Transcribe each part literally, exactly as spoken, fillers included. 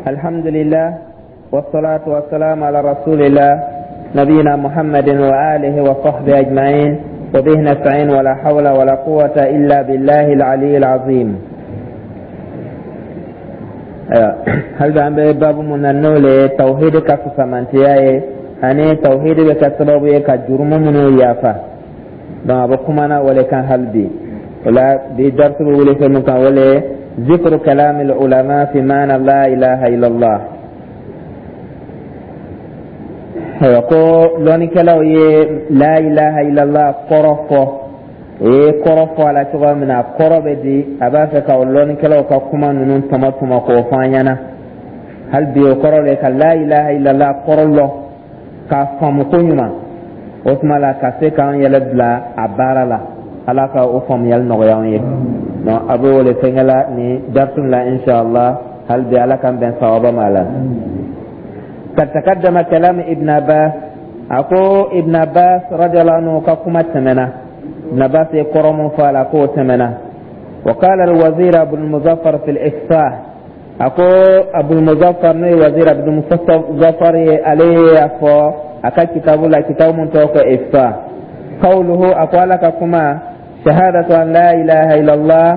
الحمد لله والصلاة والسلام على رسول الله نبينا محمد وآله وصحبه أجمعين وبه نستعين ولا حول ولا قوة إلا بالله العلي العظيم. Hali an bɛ babu mun na, n'o le ye tawhid ka fisamantiya ye ani tawhid bɛ kɛ sababu ye ka jurumu minnu yafa. Donc a bɛ kumana o le kan hali bi. O la bi darsu bɛ wele fɛn min kan, o le ye ذكر كلام العلماء في معنى لا إله إلا الله. Ayiwa, ko lɔnnikɛlaw ye la ilaha illallah kɔrɔ fɔ, o ye kɔrɔ fɔ a la cogoya min na, a kɔrɔ bɛ di. A b'a fɛ ka o lɔnnikɛlaw ka kuma ninnu tɔmɔ tɔmɔ k'o fɔ an ɲɛna hali bi. O kɔrɔ de ka la ilaha illallah kɔrɔ lɔn k'a faamu ko ɲuman, o tuma la ka se k'an yɛrɛ bila a baara la. Ala ka o faamuyali nɔgɔya an ye. Donc a bɛ wele fɛnkɛ la ni darisu la, inshallah. Hali bi Ala k'an bɛn sawaba ma la. قد تقدم كلام ابن عباس. أكو ابن عباس رضي الله عنه كما تمنى، ابن عباس يقرم فعل أكو تمنى. وقال الوزير أبو المظفر في الإفصاح. أكو أبو المظفر ني وزير أبو المظفر عليه أفو أكا كتاب لا كتاب من توقع إفصاح. قوله، أكو لك كما شهادة أن لا إله إلا الله،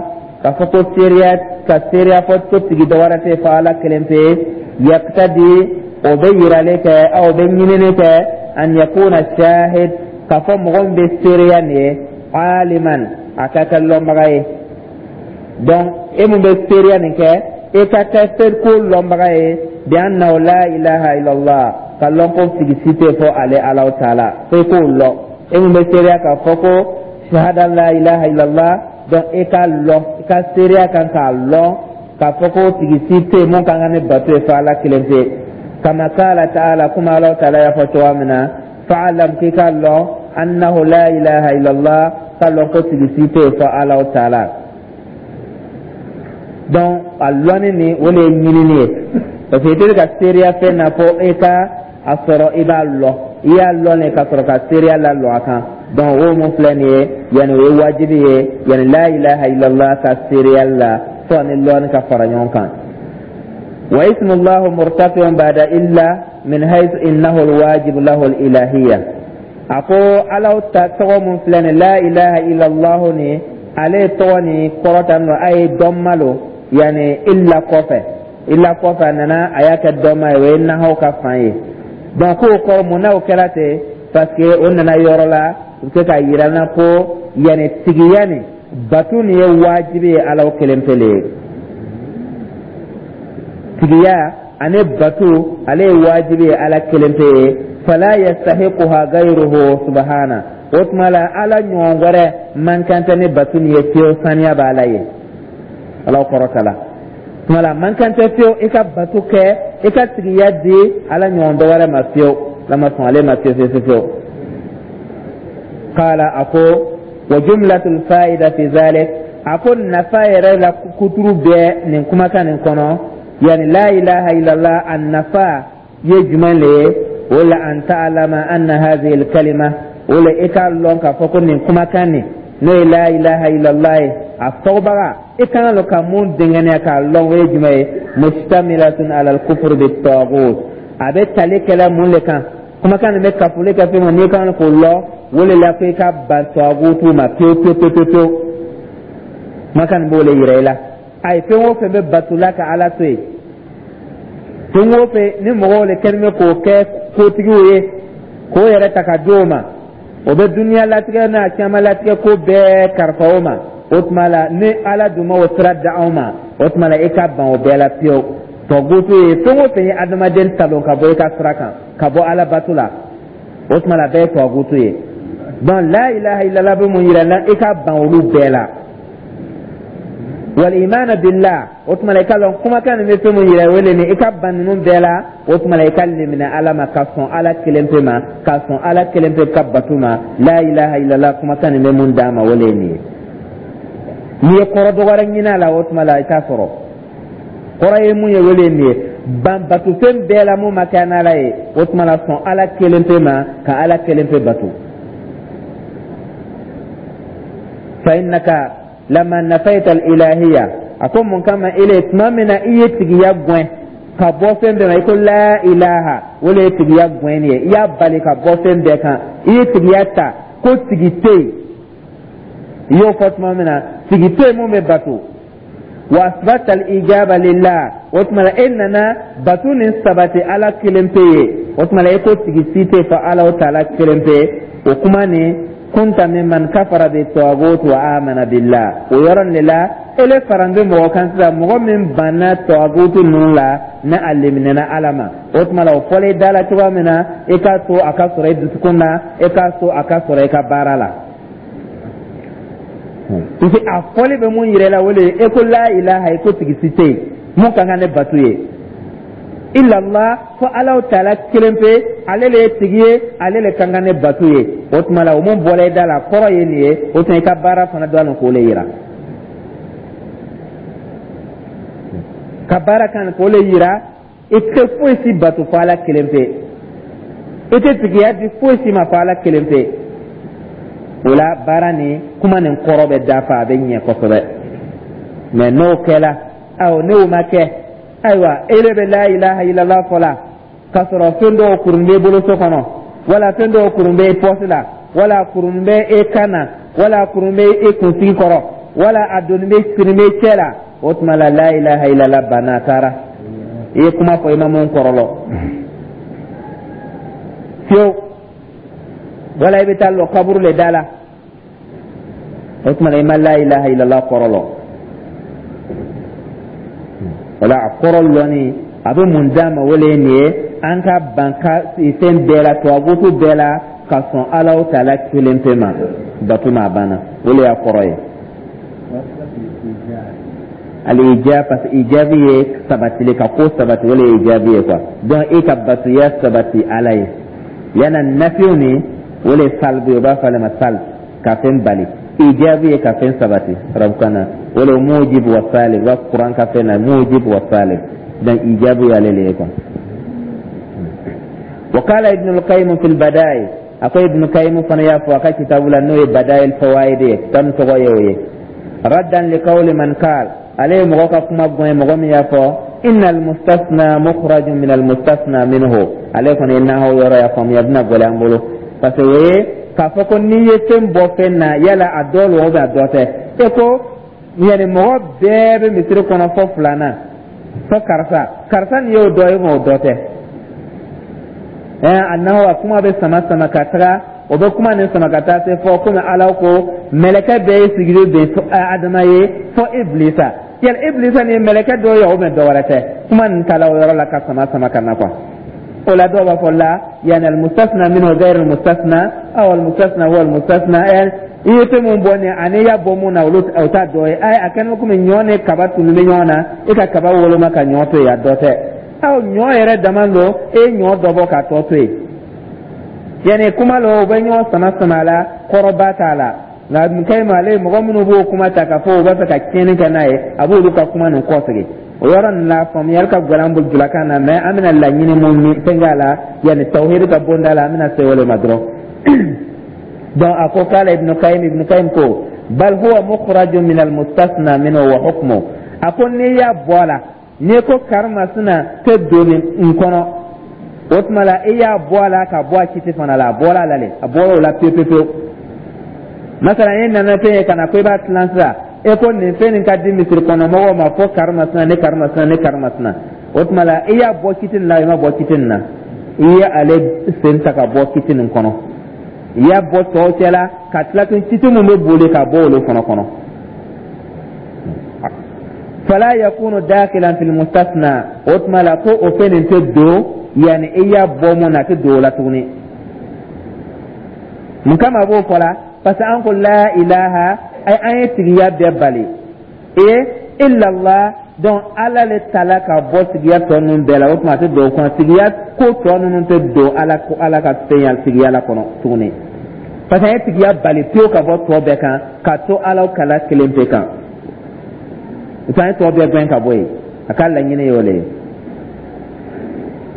كفتو سيريا كسيريا فتو تجي دورة فعلا كلمة، يقتدي o bɛ yirali kɛ, aw bɛ ɲinini kɛ, an yakuna shahid, k'a fɔ mɔgɔ min bɛ seereya nin ye, aliman, a ka kɛ lɔnbaga ye. Donc e mun bɛ seereya nin kɛ, e ka kɛ ko lɔnbaga ye, bi annahu la ilaha illallah, ka lɔn ko tigi si tɛ fɔ ale Alahu taala, fo i k'o lɔn. E mun bɛ seereya k'a fɔ ko shahada la ilaha illallah, donc e ka lɔn, i ka seereya kan k'a lɔn k'a fɔ ko tigi si tɛ yen mun kan ka ne bato ye fo Ala kelen pe. كما قال تعالى، كما الله تعالى يفتوى منا، فاعلم كي قال أنه لا إله إلا الله، قال قلت سيتي فالله تعالى. Donc a lɔnni nin, o de ye ɲinini ye, parce que i tɛ ka seereya fɛn na fo e ka a sɔrɔ i b'a lɔn. I y'a lɔn de ka sɔrɔ ka seereya lalɔ a kan. Donc o mun filɛ nin ye, yanni o ye wajibi ye, yanni la ilaha illallah ka seereya la fo ani lɔnni ka fara ɲɔgɔn kan. واسم الله مرتفع بعد إلا من حيث إنه الواجب له الإلهية. أكو على tɔgɔ mun filɛ nin, لا إله إلا الله ni ale tɔgɔ ni kɔrɔta nɔ a ye dɔnma lo, yani illa kɔfɛ, illa kɔfɛ a nana a y'a kɛ dɔnma ye, o ye nahaw ka fan ye. Donc k'o kɔrɔ mun na o kɛra ten? Parce que o nana yɔrɔ la u bɛ se k'a yira n na ko yani tigiya nin batu nin ye wajibi ye Ala kelen pele ye. Tigiya ani batu, ale ye wajibi ye Ala kelen pe ye. Fala yastahiquha gayruhu subhana. O tuma la Ala ɲɔgɔn wɛrɛ man kan tɛ ni batu nin ye fiyewu. Saniya b'Ala ye, Ala kɔrɔta la. Tuma la man kan tɛ fiyewu i ka batu kɛ, i ka tigiya di Ala ɲɔgɔn dɔ wɛrɛ ma fiyewu. Ala ma sɔn ale ma fiyewu fiyewu fiyewu. Qala, a ko wa jumlatul fa'ida fi zalik, a ko nafa yɛrɛ la kuturu bɛɛ nin kumakan nin kɔnɔ, yani la ilaha illallah a nafa ye jumɛn le ye? O la an ta'lama anna hadhihi al-kalima, o la i k'a lɔn k'a fɔ ko nin kumakan nin, n'o ye la ilaha illallah ye, a fɔbaga i kan ka ka mun dɛngɛnɛya k'a lɔn, o ye jumɛn ye? Mustamilatun ala al-kufr bit-taghut. A bɛ tali kɛla mun le kan? Kumakan nin bɛ kafoli kɛ fɛn min, n'i kan k'o lɔn, o le la ko i ka ban tagutu ma pewu pewu pewu pewu. Kumakan nin b'o le yira i la. Ayi, fɛn o fɛn bɛ batula ka Ala to yen, fɛn o fɛn ni mɔgɔw le kɛlen bɛ k'o kɛ kotigiw ye, k'o yɛrɛ ta ka di o ma, o bɛ duniya latigɛ n'a caman latigɛ ko bɛɛ kalifa o ma, o tuma la ni Ala dun ma o sira da anw ma, o tuma la i ka ban o bɛɛ la pewu. Tɔgutu ye fɛn o fɛn ye adamaden talon ka bɔ i ka sira kan, ka bɔ Ala bato la, o tuma la a bɛɛ ye tɔgutu ye. Donc la ilaha illallah bɛ mun yira n na? I ka ban olu bɛɛ la. Wal imana billah, o tuma la i ka lɔn kumakan nin bɛ fɛn mun yira, o le nin, i ka ban ninnu bɛɛ la. O tuma la i ka limina Ala ma, ka sɔn Ala kelen pe ma, ka sɔn Ala kelen pe ka batu ma. La ilaha illallah kumakan nin bɛ mun d'a ma, o le ye nin ye. N'i ye kɔrɔ dɔ wɛrɛ ɲini a la, o tuma la i t'a sɔrɔ. Kɔrɔ ye mun ye, o le ye nin ye: ban batufɛn bɛɛ la mun ma kɛ n'Ala ye, o tuma la sɔn Ala kelen pe ma, ka Ala kelen pe batu. Fa innaka lama nafaita al-ilahiyya. A ko mun kama? Ile tuma min na i ye tigiya gɛn ka bɔ fɛn bɛɛ ma, i ko la ilaha, o le ye tigiya gɛn ye. I y'a bali ka bɔ fɛn bɛɛ kan, i ye tigiya ta ko tigi tɛ yen. I y'o fɔ tuma min na, tigi tɛ yen mun bɛ bato. Wa asbata al-ijaba lillah, o tuma la e nana bato nin sabati Ala kelen pe ye. O tuma la e ko tigi si tɛ fɔ Ala o taala kelen pe. O kuma nin, kunta mimman kafara bi tagut wa amana billah. O yɔrɔ nin de la, ele faran bɛ mɔgɔ kan sisan, mɔgɔ min banna tagutu ninnu la, ni a leminɛna Ala ma. O tuma la, o fɔlen i da la cogoya min na, i k'a to a ka sɔrɔ i dusukun na, i k'a to a ka sɔrɔ i ka baara la, parce que a fɔli bɛ mun yira i la, o de ye e ko la ilaha, i ko tigi si tɛ yen mun ka kan ne bato ye, illallah, fo Alaw taala kelen pe, ale le ye tigi ye, ale le ka kan ne bato ye. O tuma la, o mun bɔra i da la, kɔrɔ ye nin ye. O tuma i ka baara fana dɔn a k'o le yira, ka baara kan k'o le yira. I tɛ foyi si bato fo Ala kelen pe, i tɛ tigiya di foyi si ma fo Ala kelen pe. O la, baara ni kuma nin kɔrɔ bɛ dafa, a bɛ ɲɛ kosɛbɛ. Mɛ n'o kɛla, awɔ, n'o ma kɛ, ayiwa, e de bɛ la ilaha illallah fɔ la k'a sɔrɔ fɛn dɔw kurun b'e bolo so kɔnɔ, wala fɛn dɔw kurun b'e pɔsi la, wala kurun bɛ e kan na, wala kurun bɛ e kunsigi kɔrɔ, wala a doni bɛ siri bɛ cɛ la. O tuma la, la ilaha illallah banna, a taara. I ye kuma fɔ, i ma mun kɔrɔlɔ fiyewu. Wala i bɛ taa lɔ kaburu le da la. O tuma la, i ma la ilaha illallah kɔrɔlɔ. O la, a kɔrɔ lɔnni a bɛ mun d'a ma? O le ye nin ye: an ka ban ka fɛn bɛɛ la, tubabutu bɛɛ la, ka sɔn Alaw taala kelen pe ma bato ma. A banna, o le y'a kɔrɔ ye. Al-ijab, parce que ijabi ye sabatili, ka ko sabati, o le ye ijabi ye quoi. Donc i ka batoya sabati Ala ye. Yana nafiw ni o le salbu ye, o b'a fɔ ale ma salb, ka fɛn bali. Ijabi ye ka fɛn sabati arabukan na, o le mujib wa salib, wa kuran ka fɛn na mujib wa salib. Donc ijabi y'ale le ye quoi. Wa qala Ibn al-Qayyim fi al-Bada'i, a ko Ibn Qayyim fana y'a fɔ a ka kitabu la, n'o ye Bada'i al-Fawaid ye, kitabu tɔgɔ ye o ye, raddan li qawli man qal, ale ye mɔgɔ ka kuma gɛn, mɔgɔ min y'a fɔ inna al-mustasna mukhrajun min al-mustasna minhu. Ale kɔni ye nahaw yɔrɔ y'a faamuya, bɛna gɛlɛya an bolo, parce que o ye k'a fɔ ko n'i ye fɛn bɔ fɛn na, yala a dɔ lo ou bien a dɔ tɛ. E ko yanni mɔgɔ bɛɛ bɛ misiri kɔnɔ fɔ filanan, fɔ karisa, karisa nin y'o dɔ ye, o dɔ tɛ. Ɛɛ a nahaw, a kuma bɛ sama sama ka taga, o bɛ kuma nin sama ka taa se fɔ komi Ala ko mɛlɛkɛ bɛɛ ye sigili bɛn Adama ye fɔ Ibilisa. Yali Ibilisa nin ye mɛlɛkɛ dɔ ye o bɛ dɔ wɛrɛ tɛ? Kuma nin taala o yɔrɔ la ka sama sama ka na quoi. O la, dɔw b'a fɔ la yani almustasna minhu ghayr almustasna aw almustasna huwa almustasna. I ye fɛn mun bɔ nin ani i y'a bɔ mun na, olu o t'a dɔ ye. Ayi, a kɛlen komi ɲɔ ni kaba tunu bɛ ɲɔgɔn na, e ka kaba woloma ka ɲɔ to yen, a dɔ tɛ. Aw ɲɔ yɛrɛ dama don, e ye ɲɔ dɔ bɔ k'a tɔ to yen. Yani kuma la, o bɛ ɲɔgɔn sama sama a la, kɔrɔba t'a la. Nka Mukayimu, ale mɔgɔ minnu b'o kuma ta k'a fɔ u b'a fɛ ka tiɲɛni kɛ n'a ye, a b'olu ka kuma nin kɔsegin. O yɔrɔ nin la, faamuyali ka gɛlɛn an bolo julakan na, mɛ an bɛna laɲini mun fɛn k'a la, yanni tawhidi ka bonda la, an bɛna se o le ma dɔrɔn. Donc a ko k'ala Ibn Qayyim, Ibn Qayyim ko bal huwa mukhrajun min al-mustasna minhu wa hukmu. A ko n'i y'a bɔ a la, n'i ko karimasina tɛ don nin kɔnɔ, o tuma la i y'a bɔ a la ka bɔ a kiti fana la, a bɔra a la le, a bɔra o la pewu pewu pewu. Masalan, e nana fɛn ye ka na ko i b'a tilan sisan, e ko nin fɛn nin ka di misiri kɔnɔ mɔgɔw ma fo karimasina ni karimasina ni karimasina. O tuma la, i y'a bɔ kiti nin na, i ma bɔ kiti nin na, i ye ale sen ta ka bɔ kiti nin kɔnɔ, i y'a bɔ tɔw cɛ la ka tila tun kiti mun bɛ boli ka bɔ olu fana kɔnɔ. Fala yakunu dakhilan fil mustasna, o tuma la ko o fɛn nin tɛ don, yanni i y'a bɔ mun na, a tɛ don o la tuguni. Mun kama a b'o fɔ la? Parce que an ko la ilaha, ay an ye tigiya bɛɛ bali e illallah. Donc Ala le tala ka bɔ tigiya tɔ ninnu bɛɛ la. O tuma a tɛ don o kɔnɔ, tigiya ko tɔ ninnu tɛ don Ala ko Ala ka fɛn ya tigiya la kɔnɔ tuguni, parce que an ye tigiya bali pewu ka bɔ tɔ bɛɛ kan ka to Ala kala kelen pe kan. O tuma an ye tɔ bɛɛ gɛn ka bɔ yen. A ka laɲini ye o le ye.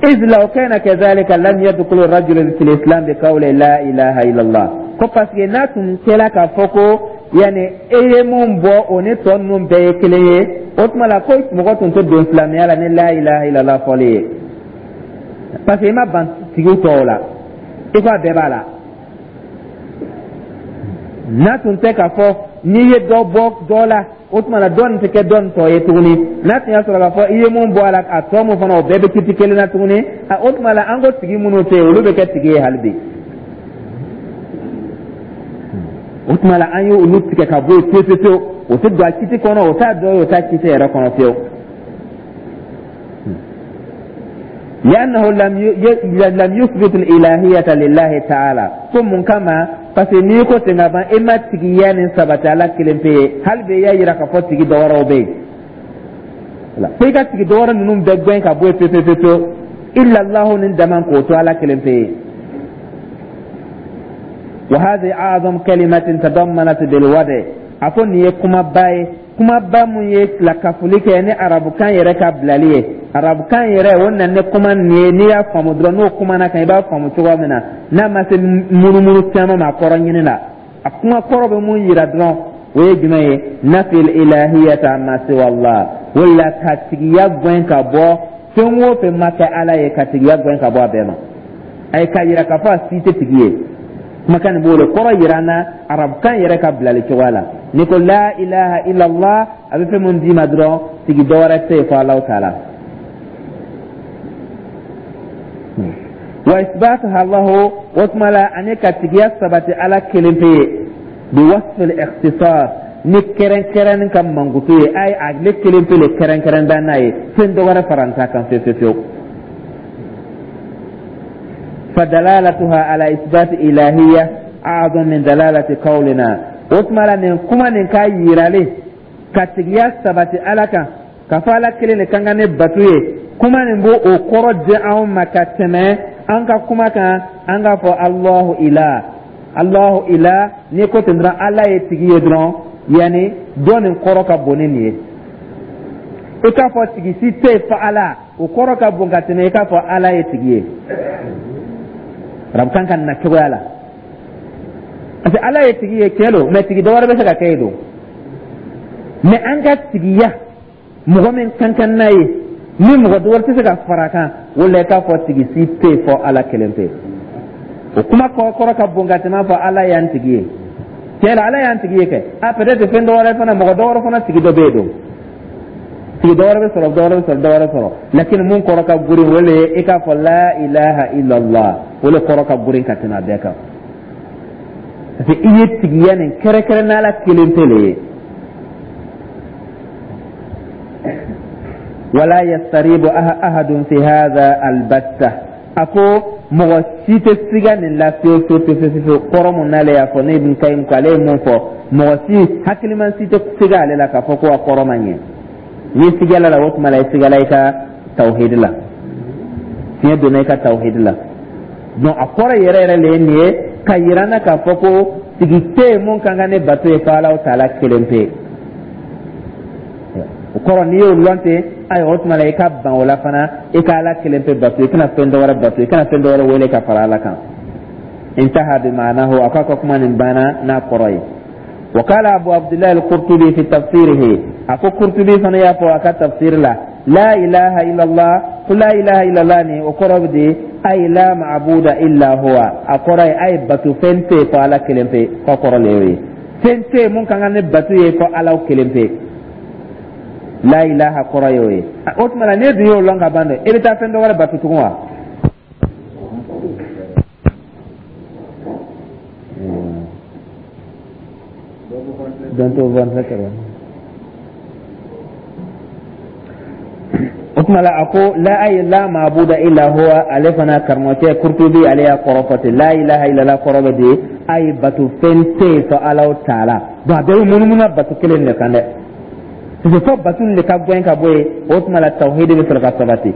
إذ لو كان كذلك لم يدخل الرجل في الإسلام بقول لا إله إلا الله. Ko parce que n'a tun kɛla k'a fɔ ko yanni e ye mun bɔ, o ni tɔ ninnu bɛɛ ye kelen ye. O tuma la ko mɔgɔ tun tɛ don silamɛya la ni la ilaha illallah fɔli ye, parce que i ma ban tigiw tɔw la, i ko a bɛɛ b'a la. N'a tun tɛ k'a fɔ n'i ye dɔ bɔ dɔ la, o tuma la dɔ nin tɛ kɛ dɔ nin tɔ ye tuguni. N'a tun y'a sɔrɔ k'a fɔ i ye mun bɔ a la, a tɔ mun fana, o bɛɛ bɛ kiti kelen na tuguni. O tuma la an ko tigi minnu tɛ yen, olu bɛ kɛ tigi ye hali bi. O tuma la an ye olu tigɛ ka bɔ yen pewu pewu pewu. O tɛ don a kiti kɔnɔ, o t'a dɔ ye, o t'a kiti yɛrɛ kɔnɔ fiyewu. لأنه لم لم يثبت الإلهية لله تعالى. Ko mun kama? Parce que n'i ko ten ka ban, e ma tigiya nin sabati Ala kelen pe ye. Hali bi i y'a yira k'a fɔ tigi dɔ wɛrɛw bɛ yen. Fo i ka tigi dɔ wɛrɛ ninnu bɛɛ gɛn ka bɔ yen pewu pewu pewu, illallahu nin dama k'o to Ala kelen pe ye. وهذه أعظم كلمة تضمنت بالوضع. A ko nin ye kumaba ye, kumaba mun ye lakafoli kɛ ni arabukan yɛrɛ ka bilali ye. Arabukan yɛrɛ o nana ni kuma nin ye. N'i y'a faamu dɔrɔn, n'o kumana kan, i b'a faamu cogoya min na, n'a ma se munumunu caman ma a kɔrɔ ɲini la, a kuma kɔrɔ bɛ mun yira dɔrɔn, o ye jumɛn ye? Nafil ilahiyata amma siwa Allah. O la ka tigiya gɛn ka bɔ fɛn o fɛn ma kɛ Ala ye, ka tigiya gɛn ka bɔ a bɛɛ ma. A ye k'a yira k'a fɔ a si tɛ tigi ye. Kumakan nin b'o de kɔrɔ yira an na arabukan yɛrɛ ka bilali cogoya la. N'i ko la ilaha illallah, a bɛ fɛn mun d'i ma dɔrɔn, tigi dɔ wɛrɛ tɛ yen fo Alahu taala. Wa isbatuha lahu, o tuma la ani ka tigiya sabati Ala kelen pe ye, bi wasfil ikhtisas, ni kɛrɛnkɛrɛnni ka mankutu ye, a ye ale kelen pe le kɛrɛnkɛrɛn da n'a ye, fɛn dɔ wɛrɛ fara n ta kan fewu fewu fewu. فدلالتها على إثبات إلهية أعظم من دلالة قولنا. O tuma la nin kuma nin k'a yiralen ka tigiya sabati Ala kan, ka fɔ Ala kelen de kan ka ne bato ye, kuma nin b'o o kɔrɔ di anw ma ka tɛmɛ an ka kuma kan, an k'a fɔ Allahu ilah, Allahu ilah. N'i ko ten dɔrɔn, Ala ye tigi ye dɔrɔn, yanni dɔ nin kɔrɔ ka bon ni nin ye. I k'a fɔ tigi si tɛ yen fo Ala, o kɔrɔ ka bon ka tɛmɛ i k'a fɔ Ala ye tigi ye arabukan ka na cogoya la. Parce que Ala ye tigi ye, tiɲɛ don, mɛ tigi dɔ wɛrɛ bɛ se ka kɛ yen don. Mɛ an ka tigiya mɔgɔ min kan kan n'a ye, ni mɔgɔ dɔ wɛrɛ tɛ se ka fara a kan, o la i k'a fɔ tigi si tɛ yen fɔ Ala kelen pe. O kuma kɔrɔ ka bon ka tɛmɛ fɔ Ala y'an tigi ye. Tiɲɛ la, Ala y'an tigi ye kɛ, a peut être fɛn dɔ wɛrɛ fana, mɔgɔ dɔ wɛrɛ fana tigi dɔ bɛ yen don, tigi dɔ wɛrɛ bɛ sɔrɔ, dɔ wɛrɛ bɛ sɔrɔ, dɔ wɛrɛ sɔrɔ. Lakin mun kɔrɔ ka girin, o le ye i k'a fɔ la ilaha illallah. O le kɔrɔ ka girin ka tɛmɛ a bɛɛ kan, parce que i ye tigiya nin kɛrɛnkɛrɛn n'Ala kelen pe le ye. Wala yastaribu ahadun fi hadha albatta. A ko mɔgɔ si tɛ siga nin la fiyewu fiyewu fiyewu fiyewu. Kɔrɔ mun n'ale y'a fɔ, ne Ibn Kayyim ko ale ye mun fɔ, mɔgɔ si hakiliman si tɛ siga ale la k'a fɔ ko a kɔrɔ ma ɲɛ. N'i sigala la, o tuma la i sigala i ka tawhidi la, fiɲɛ donna i ka tawhidi la. Donc a kɔrɔ yɛrɛ yɛrɛ le ye nin ye, ka yira n na k'a fɔ ko tigi tɛ yen mun kan ka ne bato ye fo Alahu taala kelen pe. O kɔrɔ, n'i y'o lɔn ten, ayiwa, o tuma la i ka ban o la fana, i ka Ala kelen pe bato, i kana fɛn dɔ wɛrɛ bato, i kana fɛn dɔ wɛrɛ wele ka fara Ala kan. Intaha bi maanahu. A k'a ka kuma nin banna n'a kɔrɔ ye. وقال أبو عبد الله القرطبي في تفسيره، أكو قرطبي فانا يافو أكا تفسير لا لا إله إلا الله، قل لا إله إلا الله ني وقرب دي أي لا معبود إلا هو. أقرأ أي باتو فنتي فعلى كلمة فقرأ ليوي فنتي ممكن أن باتو يفو على كلمة لا إله قرأ يوي. أتمنى نيدو يو لونغا باندو إبتا فندو ولا باتو تقوى. O tuma la a ko la ay la maabuda illa huwa. Ale fana karamɔgɔcɛ Kurtubi, ale y'a kɔrɔ fɔ ten: la ilaha illallah kɔrɔ bɛ di ayi bato fɛn tɛ yen fo Alahu taala. Donc a bɛɛ bɛ munumunu bato kelen de kan dɛ, parce que fo bato nin de ka gɛn ka bɔ yen, o tuma la tawhidi bɛ sɔrɔ ka sabati.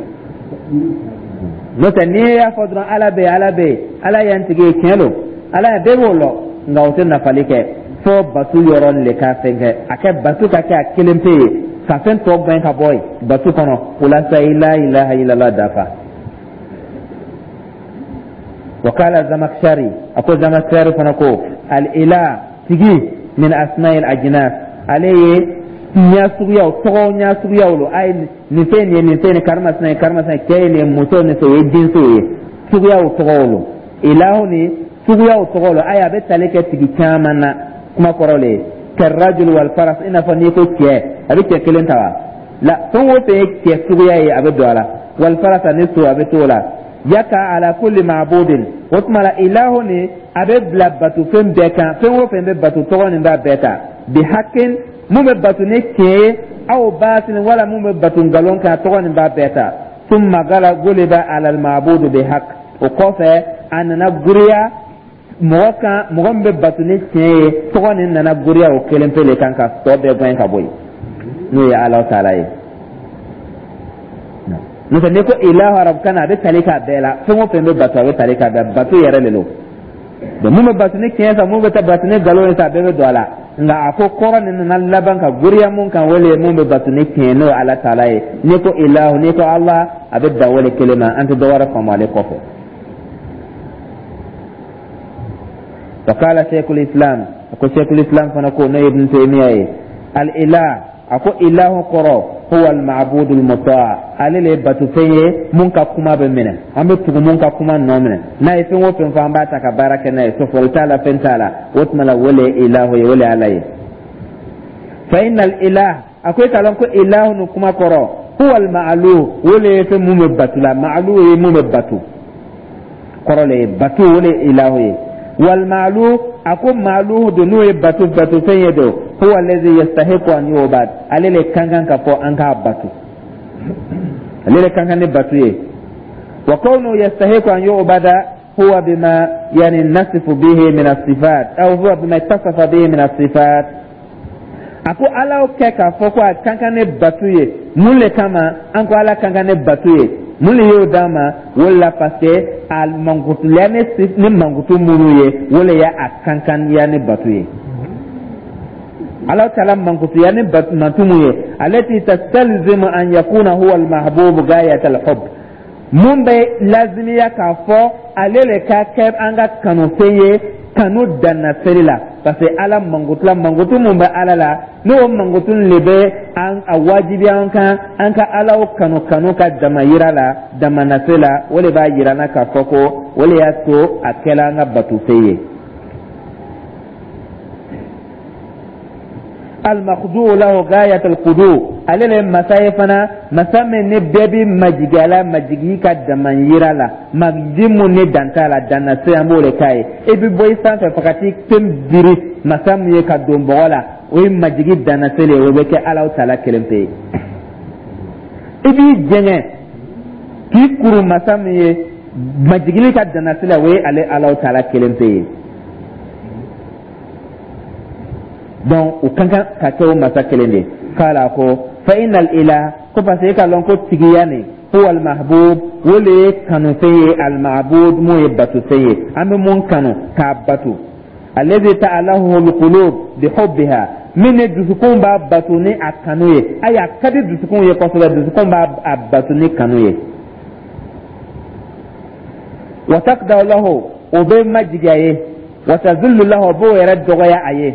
N'o tɛ, n'i y'a fɔ dɔrɔn Ala bɛ yen, Ala bɛ yen, Ala y'an tigi ye, tiɲɛ don, Ala bɛɛ b'o lɔ, nka o tɛ nafali kɛ fo bato yɔrɔ le ka fɛn kɛ, a kɛ bato ka kɛ a kelen pe ye, ka fɛn tɔ gɛn ka bɔ yen bato kɔnɔ. O la sa i la ilaha illallah dafa. Wakala Zamakshari, a ko Zamakshari fana ko al ilah tigi min asma'il ajnas, ale ye Ɲa suguyaw, tɔgɔw ɲa suguyaw lo. A ye nin fɛn nin ye, nin fɛn nin karimasina ye, karimasina ye, cɛ ye nin ye, muso nin fɛ, o ye jinsiw ye, suguyaw tɔgɔw lo. Ilahu ni suguyaw tɔgɔ lo. Ayi, a bɛ tali kɛ tigi caman na, kuma kɔrɔ le ye karrajul wal faras. I n'a fɔ n'i ko cɛ, a bɛ cɛ kelen ta wa? La, fɛn o fɛn ye cɛ suguya ye, a bɛ don a la. Wal faras ni so, a bɛ t'o la. Yaka ala kulli ma'budin. O tuma la, ilahu ni a bɛ bila batofɛn bɛɛ kan. Fɛn o fɛn bɛ bato, tɔgɔ nin b'a bɛɛ ta. Bi hakin, mun bɛ bato ni tiɲɛ ye, aw batilin, wala mun bɛ bato nkalon kan, tɔgɔ nin b'a bɛɛ ta. Thumma gala guliba ala al ma'budu bi haq. O kɔfɛ, a nana guriya mɔgɔ kan, mɔgɔ min bɛ bato ni tiɲɛ ye, tɔgɔ nin nana guriya o kelen pe le kan ka tɔ bɛɛ gɛn ka bɔ yen, n'o ye Ala taala ye. N'o tɛ, n'i ko ilahu arabukan na, a bɛ tali k'a bɛɛ la. Fɛn o fɛn bɛ bato, a bɛ tali k'a bɛɛ, bato yɛrɛ de don. Donc mun bɛ bato ni tiɲɛ sa, mun bɛ taa bato ni nkalon ye sa, a bɛɛ bɛ don a la. Nka a ko kɔrɔ nin nana laban ka goriya mun kan, o le ye mun bɛ bato ni tiɲɛ, n'o ye Ala taala ye. N'i ko ilahu, n'i ko Ala, a bɛ dan o le kelen ma, an tɛ dɔ wɛrɛ faamu ale kɔfɛ. Wa qala sheikhul islam, a ko sheikhul islam fana ko, n'o ye Ibn Taymiya ye, al ilah, a ko ilahu kɔrɔ huwa al ma'budu al muta, ale le ye batofɛn ye mun ka kuma bɛ minɛ, an bɛ tugu mun ka kuma nɔ minɛ. N'a ye fɛn o fɛn fɔ, an b'a ta ka baara kɛ n'a ye, sɔsɔli t'a la, fɛn t'a la. O tuma la, o le ye ilahu ye, o le ye Ala ye. Fa inna al ilah, a ko e k'a lɔn ko ilahu ni kuma kɔrɔ huwa al ma'luh, o le ye fɛn mun bɛ bato la. Ma'luh ye mun bɛ bato, kɔrɔ le ye bato, o le ye ilahu ye. Wal ma'luh, a ko ma'luh don, n'o ye bato batofɛn ye don, huwa allazi yastahiqu an yu'bad, ale le kan kan ka fɔ an k'a bato, ale le kan kan ni bato ye. Wa kawnu yastahiqu an yu'bada huwa bima yani nasifu bihi min as-sifat, aw huwa bima ittasafa bihi min as-sifat. A ko Ala kɛ k'a fɔ ko a kan kan ni bato ye, mun le kama an ko Ala kan kan ni bato ye? Mun le y'o d'an ma? O la, parce que a mankutuya ni ni mankutu minnu ye, o le y'a kankanya ni bato ye. Ala taala mankutuya ni mantu mun ye, alati tastalzimu an yakuna huwa almahbubu gayat alhub, mun bɛ lazimiya k'a fɔ ale le ka kɛ an ka kanufɛn ye kanu danna seri la. Parce que Ala mankutula, mankutu mun bɛ Ala la, n'o mankutu le bɛ an a wajibiya an kan an ka Alaw kanu, kanu ka dama yira la, dama nase la, o le b'a yira n na k'a fɔ ko o le y'a to a kɛla an ka batofɛn ye. Al-makhdu'u lahu ghayat al-khudu, ale le masa ye fana, masa min ni bɛɛ bi majigi a la, majigi ka dama yira la, majigi mun ni dan t'a la, dan na se, an b'o de k'a ye. I bɛ bɔ i sanfɛ fo ka t'i pen biri masa mun ye ka don bɔgɔ la, o ye majigi dan na se le ye, o bɛ kɛ Alahu taala kelen pe ye. I b'i jɛngɛ k'i kuru masa min ye majigili ka dan na se la, o ye ale Alahu taala kelen pe ye. Donc o kan kan ka kɛ o masa kelen de. Kala ko fa innal ilah, ko parce que e k'a lɔn ko tigiya nin, huwa al mahbub, o le ye kanufɛn ye, al ma'bud, mun ye batofɛn ye, an bɛ mun kanu k'a bato, alladhi ta'alahu al qulub bi hubbiha, min ni dusukun b'a bato ni a kanu ye. Ayi, a ka di dusukun ye kosɛbɛ, dusukun b'a a bato ni kanu ye. Wa taqda lahu, o bɛ majigi a ye. Wa tazullu lahu, o b'o yɛrɛ dɔgɔya a ye.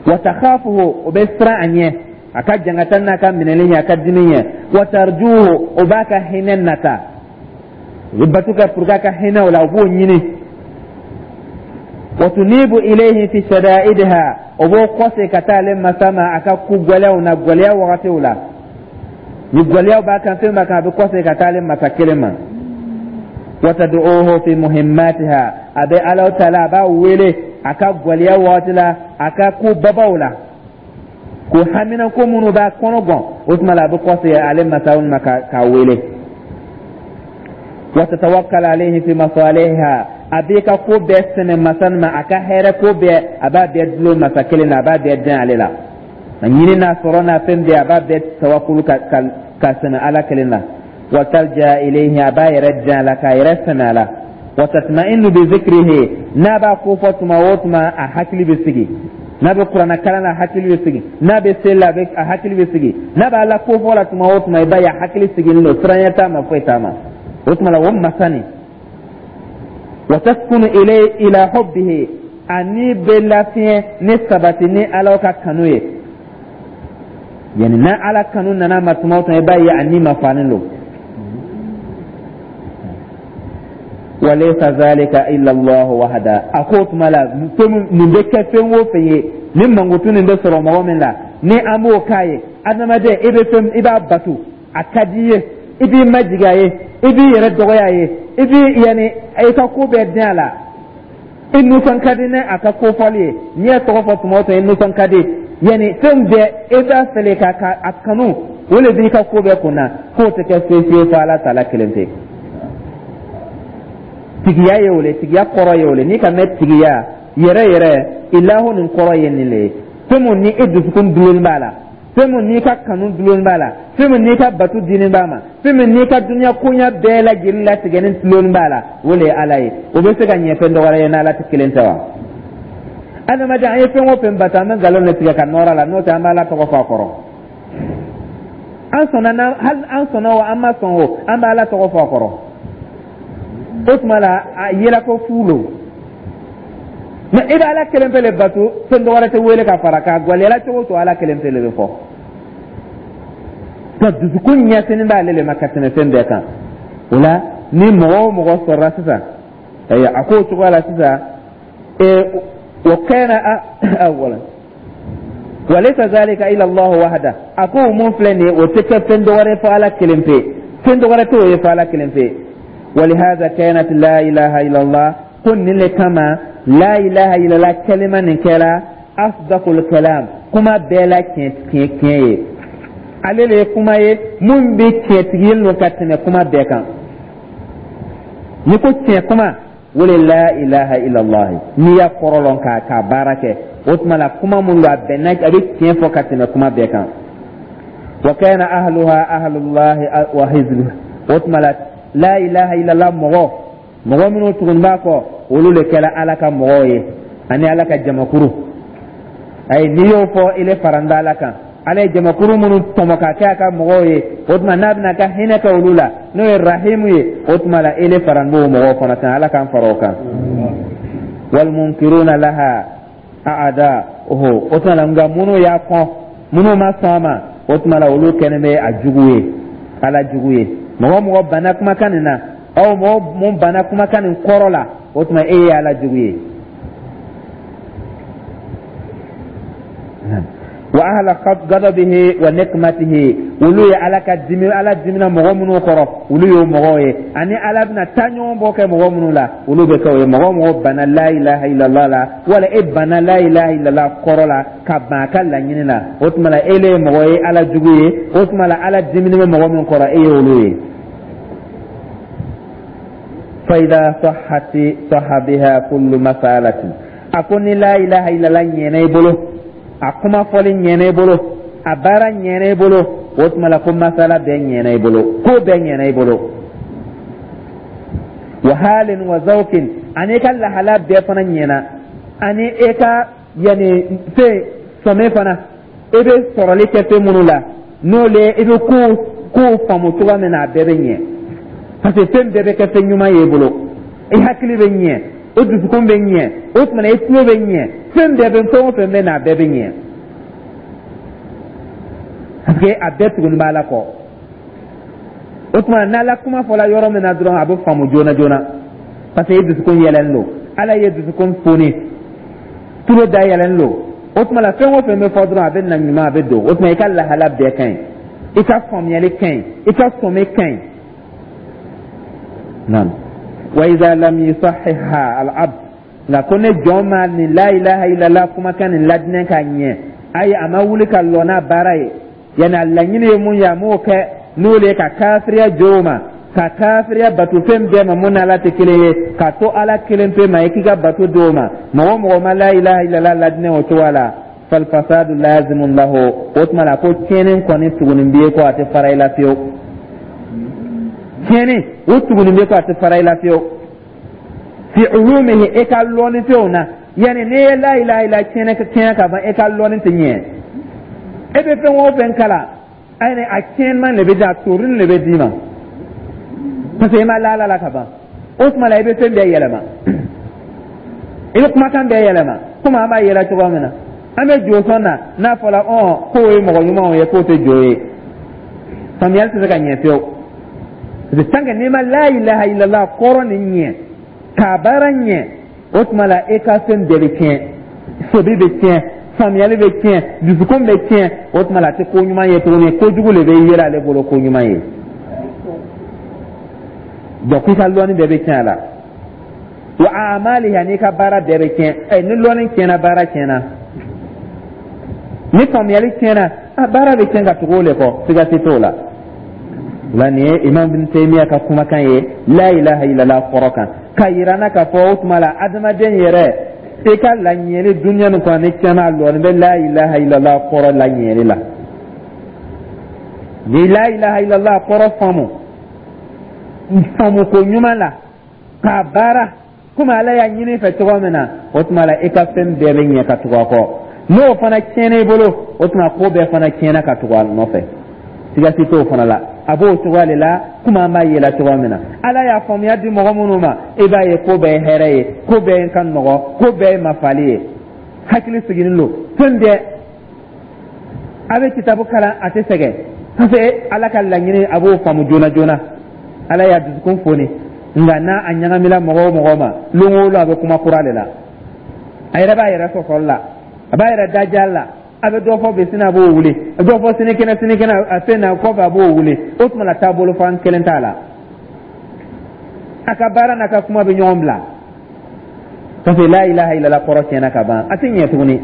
Wa takhafuhu, o bɛ siran a ɲɛ, a ka jangata n'a ka minɛli ɲɛ, a ka dimi ɲɛ. Wa tarjuhu, o b'a ka hinɛ nata, o bɛ bato kɛ pour que a ka hinɛ o la, o b'o ɲini. Wa tunibu ilayhi fi shada'idiha, o b'o kɔse ka taa ale masa ma a ka ko gɛlɛyaw na, gɛlɛya wagatiw la, ni gɛlɛyaw b'a kan, fɛn b'a kan, a bɛ kɔse ka taa ale masa kelen ma. Wa tad'uhu fi muhimmatiha, a bɛ Alahu taala, a b'a wele a ka gɛlɛya wagati la, a ka ko babaw la, ko haminanko minnu b'a kɔnɔ gan, o tuma la a bɛ kɔse ale masaw ma k'a wele. Wa tatawakkal alayhi fi masalihiha, a b'i ka ko bɛɛ sɛmɛ masa ma, a ka hɛrɛ ko bɛɛ, a b'a bɛɛ dulon masa kelen na, a b'a bɛɛ dɛn ale la, a ɲini n'a sɔrɔ n'a fɛn bɛɛ, a b'a bɛɛ tawakulu ka ka ka sɛmɛ Ala kelen na. Wa talja ilayhi, a b'a yɛrɛ dɛn a la, k'a yɛrɛ sɛmɛ a la. Wa tatma'innu bi zikrihi, n'a b'a ko fɔ tuma o tuma, a hakili bɛ sigi. N'a bɛ kuranɛ kalan na, a hakili bɛ sigi. N'a bɛ seli la, a hakili bɛ sigi. N'a b'a la ko fɔ la tuma o tuma, i b'a ye a hakili sigilen don, siranya t'a ma, foyi t'a ma. O tuma la, o masa nin, wa taskunu ilayhi ila hubbihi, ani bɛ lafiɲɛ ni sabati ni Ala ka kanu ye. Yani n'a Ala kanu nana ma tuma o tuma, i b'a ye a ni ma fanen don. Walaysa zalika illa Allah wahda. A ko tuma la, fɛn nin bɛ kɛ fɛn o fɛn ye, ni mankutu nin bɛ sɔrɔ mɔgɔ min la, ni an b'o k'a ye, adamaden, i bɛ fɛn, i b'a bato, a ka di i ye, i b'i majigin a ye, i b'i yɛrɛ dɔgɔya a ye, i b'i yani i ka ko bɛɛ den a la, i nisɔn ka di ni a ka ko fɔli ye. N'i y'a tɔgɔ fɔ tuma o tuma, i nisɔn ka di. Yani fɛn bɛɛ i b'a fɛlɛ ka ka a kanu, o de b'i ka ko bɛɛ kunna. K'o tɛ kɛ foyi foyi fɔ Ala taala kelen pe. Tigiya ye o le, tigiya kɔrɔ ye o le. N'i ka mɛn tigiya yɛrɛ yɛrɛ, ilahu nin kɔrɔ ye nin le ye: fɛn mun ni e dusukun dulon b'a la, fɛn mun n'i ka kanu dulon b'a la, fɛn mun n'i ka bato dinin b'a ma, fɛn mun n'i ka dunuya koɲa bɛɛ lajɛlen latigɛni dulon b'a la, o le ye Ala ye. O bɛ se ka ɲɛ fɛn dɔ wɛrɛ ye n'Ala tɛ kelen tɛ wa? Adamaden, an ye fɛn o fɛn bato, an bɛ nkalon de tigɛ ka nɔrɔ a la. N'o tɛ, an b'Ala tɔgɔ fɔ a kɔrɔ. An sɔnna na, hali an sɔnna o, an ma sɔn o, an bɛ Ala tɔgɔ fɔ a kɔrɔ. O tuma la, a yela ko fu lo. Mɛ i bɛ Ala kelen pe le bato, fɛn dɔ wɛrɛ tɛ wele ka fara kan. Gwaliyala cogo o cogo, Ala kelen pe le bɛ fɔ. Ka dusukun ɲɛsinin b'ale le ma ka tɛmɛ fɛn bɛɛ kan. O la, ni mɔgɔ o mɔgɔ sɔrɔla sisan, ayiwa, a k'o cogoya la sisan, ee wa kana awwalan walaysa zalika illa Allah wahda. A ko mun filɛ nin ye, o tɛ kɛ fɛn dɔ wɛrɛ fɔ Ala kelen pe, fɛn dɔ wɛrɛ t'o ye fɔ Ala kelen pe. ولهذا كانت لا إله إلا الله, ko nin le kama la ilaha illallah kalima nin kɛra asdaqul kalam, kuma bɛɛ la tiɲɛ tiɲɛ tiɲɛ ye. Ale le ye kuma ye mun bɛ tiɲɛtigi don ka tɛmɛ kuma bɛɛ kan. Ni ko tiɲɛ kuma, o le la ilaha illallah. N'i y'a kɔrɔ lɔn k'a k'a baara kɛ, o tuma la, kuma mun don, a bɛnna, a bɛ tiɲɛ fɔ ka tɛmɛ kuma bɛɛ kan. Wa kana ahluha ahlullahi wa hizbuhu. O tuma la, la ilaha illallah mɔgɔ mɔgɔ minnu tugun b'a kɔ, olu le kɛra Ala ka mɔgɔw ye ani Ala ka jamakuru. Ayi, n'i y'o fɔ, i le faranda Ala kan. Ala ye jamakuru minnu tɔmɔ ka kɛ a ka mɔgɔw ye, o tuma n'a bɛna ka hinɛ kɛ olu la, n'o ye rahimu ye, o tuma la, i le faran b'o mɔgɔw fana kan. Ala k'an fara o kan. Walmunkiruna laha aada oho. O tuma la, nka minnu y'a kɔn, minnu ma sɔn a ma, o tuma la, olu kɛlen bɛ a jugu ye, Ala jugu ye. Mɔgɔ mɔgɔ banna kumakan nin na, aw mɔgɔ mun banna kumakan nin kɔrɔ la, o tuma e ye Ala jugu ye. Wa ahla gadabihi wa nikmatihi, olu ye Ala ka dimi, Ala dimina mɔgɔ minnu kɔrɔ, olu y'o mɔgɔw ye. Ani Ala bɛna taa ɲɔgɔn bɔ kɛ mɔgɔ minnu la, olu bɛ kɛ o ye. Mɔgɔ mɔgɔ banna la ilaha illallah la, wala e banna la ilaha illallah kɔrɔ la, ka ban a ka laɲini na, o tuma la, e le ye mɔgɔ ye, Ala jugu ye. O tuma la, Ala dimini bɛ mɔgɔ min kɔrɔ, e ye olu ye. Fa idha sahhati sahha biha kullu masalatin. A ko ni la ilaha illallah ɲɛna i bolo, a kuma fɔli ɲɛna i bolo, a baara ɲɛna i bolo, o tuma la, ko masala bɛɛ ɲɛna i bolo, ko bɛɛ ɲɛna i bolo. Wa halin wa zawkin, ani i ka lahala bɛɛ fana ɲɛna, ani e ka yani fɛn sɔmi fana, i bɛ sɔrɔli kɛ fɛn minnu la, n'o le i bɛ kow kow faamu cogoya min na, a bɛɛ bɛ ɲɛ, parce que fɛn bɛɛ bɛ kɛ fɛn ɲuman ye i bolo. I hakili bɛ ɲɛ, o dusukun bɛ ɲɛ, o tuma na, i tulo bɛ ɲɛ, fɛn bɛɛ bɛ, fɛn o fɛn bɛ na, a bɛɛ bɛ ɲɛ, parce que a bɛɛ tuguni b'a la kɔ. O tuma n'Ala kuma fɔla yɔrɔ min na dɔrɔn, a bɛ faamu joona joona, parce que i dusukun yɛlɛlen don, Ala ye dusukun foni, tulo dayɛlɛlen don. O tuma la, fɛn o fɛn bɛ fɔ dɔrɔn, a bɛ na ɲuman, a bɛ don. O tuma, i ka lahala bɛɛ ka ɲi, i ka faamuyali ka ɲi, i ka sɔmi ka ɲi. Naam. Wa idha lam yusahhihha al-abd, nka ko ne jɔn ma nin la ilaha illallah kumakan nin ladinɛ ka ɲɛ, ayi, a ma wuli ka lɔ n'a baara ye, yanni a laɲini ye mun ye, a m'o kɛ, n'o le ye ka kafiriya jo ma, ka kafiriya bato fɛn bɛɛ ma mun n'Ala tɛ kelen ye, ka to Ala kelen pe ma, i k'i ka bato d'o ma. Mɔgɔ o mɔgɔ ma la ilaha illallah ladinɛ o cogoya la, falfasadu lazimun lahu. O tuma la, ko tiɲɛni kɔni tugunin b'i kɔ, a tɛ fara i la fiyewu. Tiɲɛni o tugunin b'i kɔ, a tɛ fara i la fiyewu. Fi ulumihi, e ka lɔnni fɛnw na, yanni n'i ye la ilaha illa tiɲɛ tiɲɛ ka ban, e ka lɔnni tɛ ɲɛ. E bɛ fɛn o fɛn kalan, ayi, a tiɲɛman de bɛ di, a torin de bɛ d'i ma, parce que i ma la Ala la ka ban. O tuma la, i bɛ fɛn bɛɛ yɛlɛma, i bɛ kumakan bɛɛ yɛlɛma, komi an b'a yɛlɛ cogoya min na. An bɛ jo sɔn na, n'a fɔra ɔn k'o ye mɔgɔ ɲumanw ye, k'o tɛ jo ye, faamuyali tɛ se ka ɲɛ fiyewu, parce que tant que n'i ma la ilaha illallah kɔrɔ nin ɲɛ k'a baara ɲɛ, o tuma la e ka fɛn bɛɛ bɛ tiɲɛ, sobi bɛ tiɲɛ, faamuyali bɛ tiɲɛ, dusukun bɛ tiɲɛ. O tuma la a tɛ ko ɲuman ye tuguni, kojugu de bɛ yɛlɛ ale bolo ko ɲuman ye. Donc i ka lɔnni bɛɛ bɛ tiɲɛ a la, wa amaliha, n'i ka baara bɛɛ bɛ tiɲɛ. Ɛ, ni lɔnni tiɲɛna, baara tiɲɛna. Ni faamuyali tiɲɛna, a baara bɛ tiɲɛ ka tugu o de kɔ, siga si t'o la. O la, nin ye Imam bin Taymiya ka kumakan ye la ilaha illallah kɔrɔ kan, ka yira n na k'a fɔ o tuma la adamaden yɛrɛ, i ka laɲɛli duniya nin kɔnɔ ni tiɲɛna, lɔni bɛ la ilaha illallah kɔrɔ laɲɛli la. Ni la ilaha illallah kɔrɔ faamu faamu ko ɲuman la k'a baara komi Ala y'a ɲini fɛ cogo min na, o tuma la i ka fɛn bɛɛ bɛ ɲɛ ka tugu a kɔ. N'o fana tiɲɛna i bolo, o tuma ko bɛɛ fana tiɲɛna ka tugu a nɔfɛ, siga si t'o fana la. A b'o cogoya de la, komi an b'a yela cogoya min na, Ala y'a faamuya di mɔgɔ minnu ma, i b'a ye ko bɛɛ ye hɛrɛ ye, ko bɛɛ ka nɔgɔ, ko bɛɛ ye mafali ye, hakili sigilen don, fɛn bɛɛ a bɛ kitabu kalan, a tɛ sɛgɛn, parce que Ala ka laɲini, a b'o faamu joona joona, Ala y'a dusukun foni. Nka n'a a ɲagamina mɔgɔ o mɔgɔ ma, lon o lon a bɛ kuma kura de la, a yɛrɛ b'a yɛrɛ sɔsɔli la, a b'a yɛrɛ dajali la, a bɛ dɔ fɔ bi, sini a b'o wuli, dɔ fɔ sinikɛnɛ, sinikɛnɛ a fɛn na kɔfɛ a b'o wuli. O tuma la taabolo fan kelen t'a la, a ka baara n'a ka kuma bɛ ɲɔgɔn bila, parce que la ilaha illallah kɔrɔ tiɲɛna ka ban, a tɛ ɲɛ tuguni.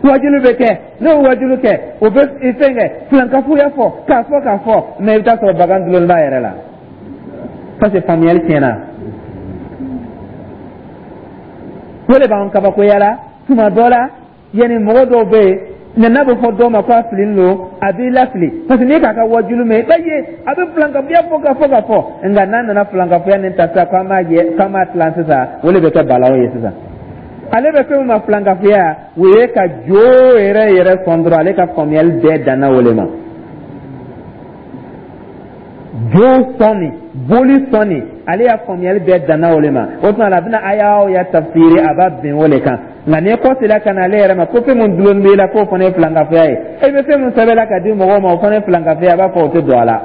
Wajulu bɛ kɛ, n'o wajulu kɛ, o bɛ fɛn kɛ filankafoya fɔ k'a fɔ k'a fɔ, mais i bɛ taa sɔrɔ bagan dulon b'a yɛrɛ la, parce que faamuyali tiɲɛna. O de b'an kabakoya la tuma dɔ la. Yanni mɔgɔ dɔw bɛ yen nka n'a bɛ fɔ dɔw ma ko a fililen don, a b'i lafili, parce que n'i k'a ka wajulu mɛn, i b'a ye a bɛ filankafoya fɔ ka fɔ ka fɔ, nka n'a nana filankafoya nin ta sisan k'an b'a yɛ k'an b'a tilan sisan, o de bɛ kɛ balawu ye sisan. Ale bɛ fɛn min ma filankafoya, o ye ka jo yɛrɛ yɛrɛ sɔn dɔrɔn, ale ka faamuyali bɛɛ danna o de ma. Jo sɔnni, boli sɔnni, ale y'a faamuyali bɛɛ danna o de ma. O tuma la a bɛna aya o ya tafsiri, a b'a bɛn o de kan. Nka n'i kɔsila ka na ale yɛrɛ ma ko fɛn min dulon b'i la, k'o fana ye filankafoya ye, e bɛ fɛn min sɛbɛnla ka di mɔgɔw ma, o fana ye filankafoya, a b'a fɔ o tɛ don a la,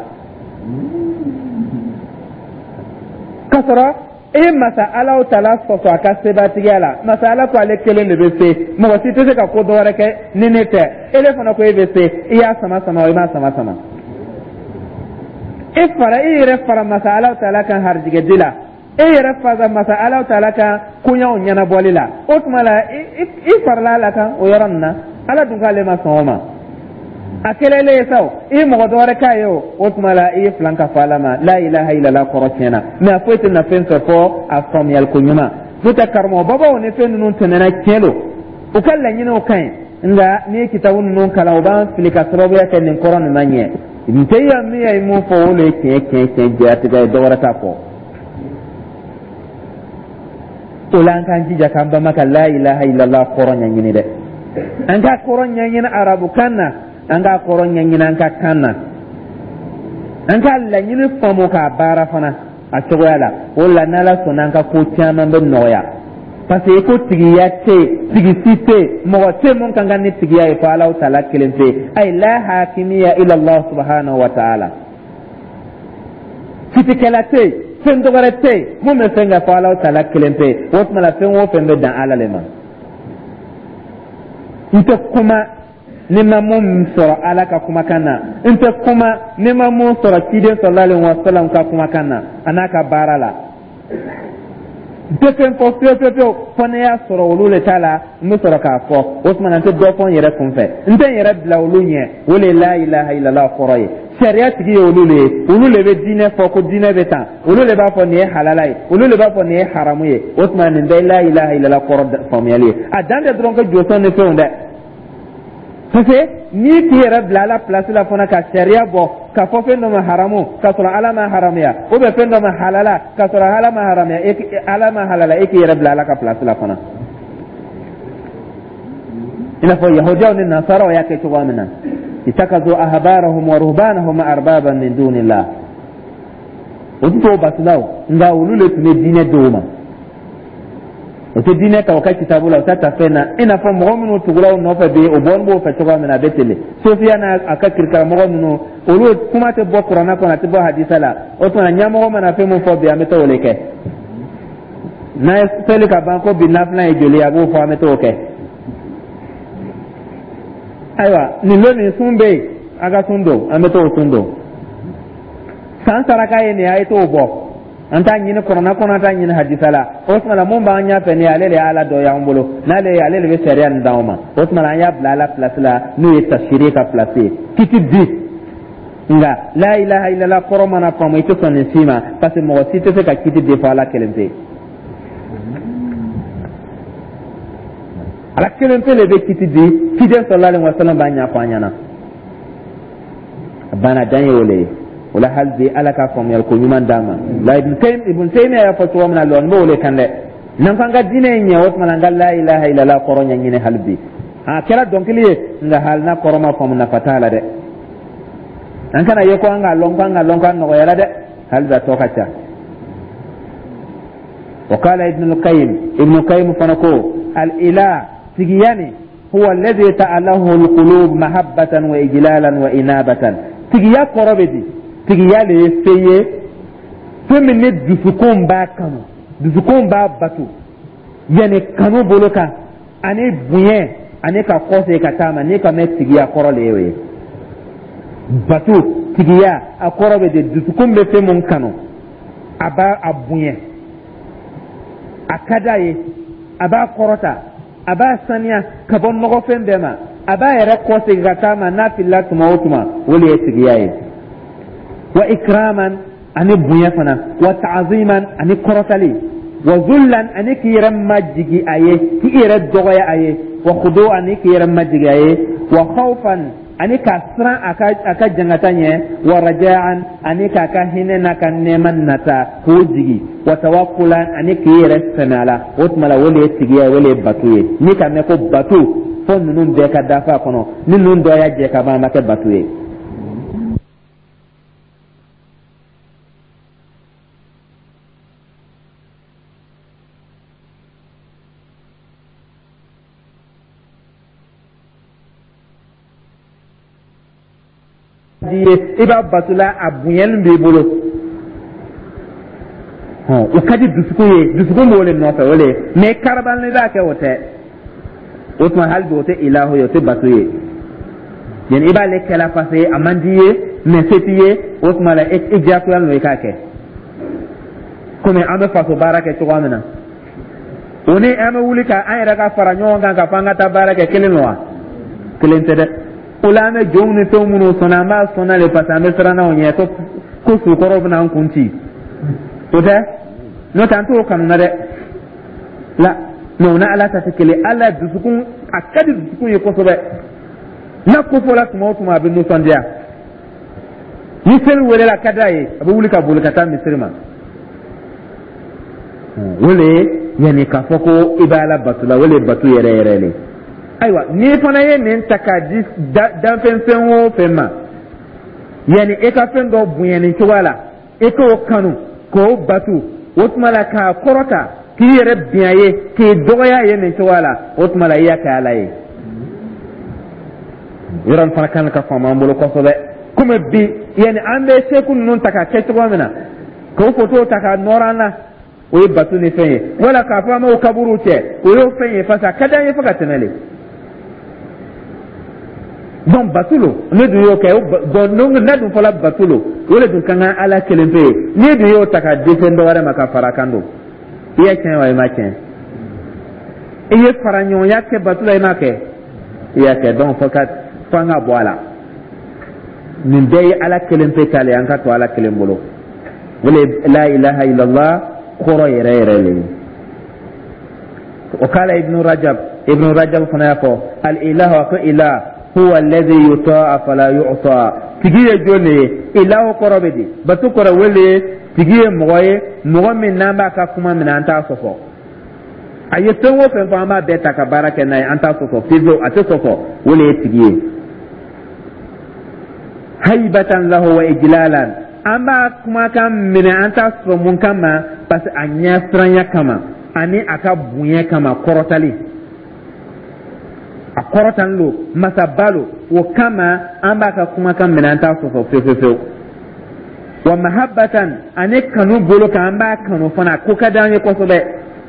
k'a sɔrɔ e ye masa Alaw tala sɔsɔ a ka sebatigiya la. Masa Ala ko ale kelen de bɛ se, mɔgɔ si tɛ se ka ko dɔ wɛrɛ kɛ ni ne tɛ. E de fana ko e bɛ se, i y'a sama sama o, i m'a sama sama, e fara e yɛrɛ fara masa Alaw tala kan harijigɛ di la, e yɛrɛ fara masa Alaw tala kan koɲaw ɲɛnabɔli la. O tuma la i farala Ala kan o yɔrɔ nin na, Ala dun k'ale ma sɔn o ma, a kɛlen ye sa o, i ye mɔgɔ dɔ wɛrɛ k'a ye o, o tuma la i ye filan ka fɔ Ala ma, la ilaha illallah kɔrɔ tiɲɛna. Mais a foyi tɛ na fɛn fɛ fɔ a faamuyali ko ɲuman. N'o tɛ, karamɔgɔ babaw ni fɛn ninnu tɛmɛna, tiɲɛ don, u ka laɲiniw ka ɲi, nka n'i ye kitabu ninnu kalan, u b'an fili ka sababuya kɛ nin kɔrɔ nin ma ɲɛ. N tɛ ya min ye mun fɔ, o de ye tiɲɛ tiɲɛ tiɲɛ jɛyatigɛ ye, dɔ wɛrɛ t'a fɔ. O la an k'an jija k'an banba ka la ilaha illallah kɔrɔ ɲɛɲini dɛ. An k'a kɔrɔ ɲɛɲini arabukan na, an k'a kɔrɔ ɲɛɲini an ka kan na, an k'a laɲini faamu k'a baara fana a cogoya la. O la n'Ala sɔnna, an ka ko caman bɛ nɔgɔya, parce que ko tigiya tɛ yen, tigi si tɛ yen, mɔgɔ tɛ mun kan ka ni tigiya ye fo Alahu taala kelen pe. Ayi, la hakimiya ila Allah subhanahu wa ta'ala. Kitikɛla tɛ yen, fɛn dɔwɛrɛ tɛ yen mun bɛ fɛn kɛ fo Alahu taala kelen pe. O tuma la fɛn o fɛn bɛ dan Ala le ma. N tɛ kuma ni ma mun sɔrɔ Ala ka kumakan na, n tɛ kuma ni ma mun sɔrɔ ciden sallallahu alaihi wa sallam ka kumakan na, a n'a ka baara la. N tɛ fɛn fɔ fiyewu fiyewu fiyewu fo ne y'a sɔrɔ olu le ta la, n bɛ sɔrɔ k'a fɔ. O tuma na n tɛ dɔ fɔ n yɛrɛ kun fɛ, n tɛ n yɛrɛ bila olu ɲɛ. O de ye la ilaha illallah kɔrɔ ye. Sariya tigi ye olu le ye, olu le bɛ diinɛ fɔ ko diinɛ bɛ tan, olu le b'a fɔ nin ye halala ye, olu le b'a fɔ nin ye haramu ye. O tuma nin bɛɛ ye la ilaha illallah kɔrɔ faamuyali ye. A dan tɛ dɔrɔn ko josɔn ni fɛnw dɛ, parce que n'i k'i yɛrɛ bila Ala place la fana ka sariya bɔ k'a fɔ fɛn dɔ ma haramu k'a sɔrɔ Ala ma haramuya, ou bien fɛn dɔ ma halala k'a sɔrɔ Ala ma haramuya, Ala ma halala, e k'i yɛrɛ bila Ala ka place la fana, i n'a fɔ yahudiyaw ni nasaraw y'a kɛ cogoya min na, ittakazu ahbarahum wa ruhbanahum arbaban min dunillah. O tɛ t'o batulaw, nka olu le tun bɛ diinɛ d'o ma. O O tɛ diinɛ ta o ka kitabu la, o t'a ta fɛn na. I n'a fɔ mɔgɔ minnu tugula o nɔfɛ bi, o bɔlen b'o fɛ cogoya min na, a bɛ ten de. Sofiya n'a a ka kirikaramɔgɔ ninnu, olu kuma tɛ bɔ kuranɛ kɔnɔ, a tɛ bɔ hadisa la. O tuma ɲɛmɔgɔ mana fɛn min fɔ bi, an bɛ taa o de kɛ. N'a ye seli ka ban ko bi nafilan ye joli ye, a b'o fɔ, an bɛ t'o kɛ. Ayiwa, nin don nin sun bɛ yen, a ka sun don, an bɛ t'o sun don. San saraka ye nin ye, a ye t'o bɔ. An t'a ɲini kuranɛ kɔnɔ, an t'a ɲini hadisa la. O tuma la, mun b'an ɲɛfɛ nin ye, ale de ye Ala dɔ y'an bolo. N'ale ye, ale de bɛ sariya nin d'anw ma. O tuma la, an y'a bila Ala place la, n'o ye tafsiri ka place ye, kiti di. Nka la ilaha illallah kɔrɔ mana faamu, i tɛ sɔn nin si ma, parce que mɔgɔ si tɛ se ka kiti di fɔ Ala kelen pe. Ala kelen pe de bɛ kiti di. Ciden sallallahu alaihi wasallam b'a ɲɛfɔ an ɲɛna, a banna, dan ye o le ye. O la, hali bi, Ala ka faamuyali ko ɲuman d'an ma. La Ibn Taymiya y'a fɔ cogo min na, lɔnni b'o de kan dɛ. N'an ko an ka diinɛ in ɲɛ, o tuma na an ka la ilaha illallah kɔrɔ ɲɛɲini hali bi. A kɛra dɔnkili ye, nka hali n'a kɔrɔ ma faamu, nafa t'a la dɛ. An kana ye ko an k'a lɔn, ko an k'a lɔn, k'a nɔgɔyara dɛ. Hali bi a tɔ ka ca. وقال ابن القيم، ابن القيم فنكو الإله تجياني هو الذي تأله القلوب محبة وإجلالا وإنابة. Tigiya kɔrɔ bɛ di? Tigiya le ye fɛn ye, fɛn min ni dusukun b'a kanu, dusukun b'a bato, yanni kanu bolo kan ani bonya ani ka kɔsegin ka taa ma. N'i ka mɛn, tigiya kɔrɔ le ye o ye. Bato tigiya, a kɔrɔ bɛ di? Dusukun bɛ fɛn mun kanu, a b'a a bonya, a ka d'a ye, a b'a kɔrɔta, a b'a saniya ka bɔ nɔgɔfɛn bɛɛ ma, a b'a yɛrɛ kɔsegin ka taa ma n'a filila tuma o tuma, o de ye tigiya ye. Wa ikraman, ani bonya fana, wa ta'ziman, ani kɔrɔtali, wa zullan, ani k'i yɛrɛ majigi a ye, k'i yɛrɛ dɔgɔya a ye, wa khudu, ani k'i yɛrɛ majigi a ye, wa khawfan, ani ka siran a ka a ka jangata ɲɛ, wa raja'an, ani k'a ka hinɛ n'a ka nɛɛma nata k'o jigi, wa tawakkulan, ani k'i yɛrɛ sɛmɛ a la. O tuma la, o de ye tigiya ye, o de ye bato ye. N'i ka mɛn ko bato, fo ninnu bɛɛ ka dafa a kɔnɔ. Ni ninnu dɔ y'a jɛ ka ban, a ma kɛ bato ye. Ye i b'a batola, a bonyali b'i bolo, o ka di dusukun ye, dusukun b'o de nɔfɛ, o de ye. Mais karabali b'a kɛ, o tɛ. O tuma hali bi o tɛ ilahu ye, o tɛ bato ye. Yani i b'ale kɛla parce que a man di ye, mais se t'i ye. O tuma la, i diyagoyalen don i k'a kɛ. Komi an bɛ faso baara kɛ cogoya min na, o ni an bɛ wuli ka an yɛrɛ ka fara ɲɔgɔn kan ka fɔ an ka taa baara kɛ, kelen don wa? Kelen tɛ dɛ. O la, an bɛ jɔnw ni fɛnw minnu sɔnna, an b'a sɔnna de parce que an bɛ siran n'anw ɲɛ ko ko sukɔrɔw bɛna an kun ci. O tɛ, n'o tɛ an t'o kanu na dɛ. La mais o ni Ala ta tɛ kelen. Ala dusukun, a ka di dusukun ye kosɛbɛ. N'a ko fɔla tuma o tuma, a bɛ nisɔndiya. Ni seli welela, a ka d'a ye, a bɛ wuli ka boli ka taa misiri ma. O le yanni k'a fɔ ko i bɛ Ala bato la, o le ye bato yɛrɛ yɛrɛ le. Ayiwa, n'i fana ye nin ta k'a di danfɛn fɛn o fɛn ma, yanni e ka fɛn dɔ bonya nin cogoya la, e k'o kanu k'o bato, o tuma la k'a kɔrɔta, k'i yɛrɛ bin a ye, k'i dɔgɔya a ye nin cogoya la, o tuma la i y'a kɛ Ala ye. Yɔrɔ nin fana kan ka faamu an bolo kosɛbɛ. Komi bi, yanni an bɛ seku ninnu ta k'a kɛ cogoya min na, k'o fotow ta k'a nɔrɔ an na, o ye bato ni fɛn ye, wala k'a fɔ an b'o kaburuw cɛ, o y'o fɛn ye, parce que a ka d'an ye fo ka tɛmɛ le. Donc bato lo, ne dun y'o kɛ. Donc n'a dun fɔla bato lo, o de dun ka kan Ala kelen pe ye. N'i dun y'o ta k'a di fɛn dɔ wɛrɛ ma ka fara a kan don, i y'a tiɲɛ wa i m'a tiɲɛ? I ye fara ɲɔgɔnya kɛ bato la, i m'a kɛ? I y'a kɛ. Donc fo ka fo an ka bɔ a la. Nin bɛɛ ye Ala kelen pe ta le ye, an ka to Ala kelen bolo. O le la ilaha illallah kɔrɔ yɛrɛ yɛrɛ le ye. O kala Ibnu Rajab, Ibnu Rajab fana y'a fɔ al ilahu, ko ilah huwa alladhi yuta'a fala yu'sa. Tigi ye jɔn de ye? Ilahu kɔrɔ bɛ di? Bato kɔrɔ o le ye tigi ye, mɔgɔ ye, mɔgɔ min n'an b'a ka kuma minɛ, an t'a sɔsɔ. A ye fɛn o fɛn fɔ, an b'a bɛɛ ta ka baara kɛ n'a ye, an t'a sɔsɔ fiyewu, a tɛ sɔsɔ. O le ye tigi ye. Haibatan lahu wa ijlalan, an b'a kumakan minɛ, an t'a sɔsɔ. Mun kama? Parce que a ɲɛsiranya kama. Ani a ka bonya kama, kɔrɔtali, a kɔrɔtalen don, masaba lo, o kama an b'a ka kumakan minɛ, an t'a sɔsɔ fewu fewu fewu. Wa mahabbatan, ani kanu bolo kan, an b'a kanu fana, ko ka d'an ye kosɛbɛ.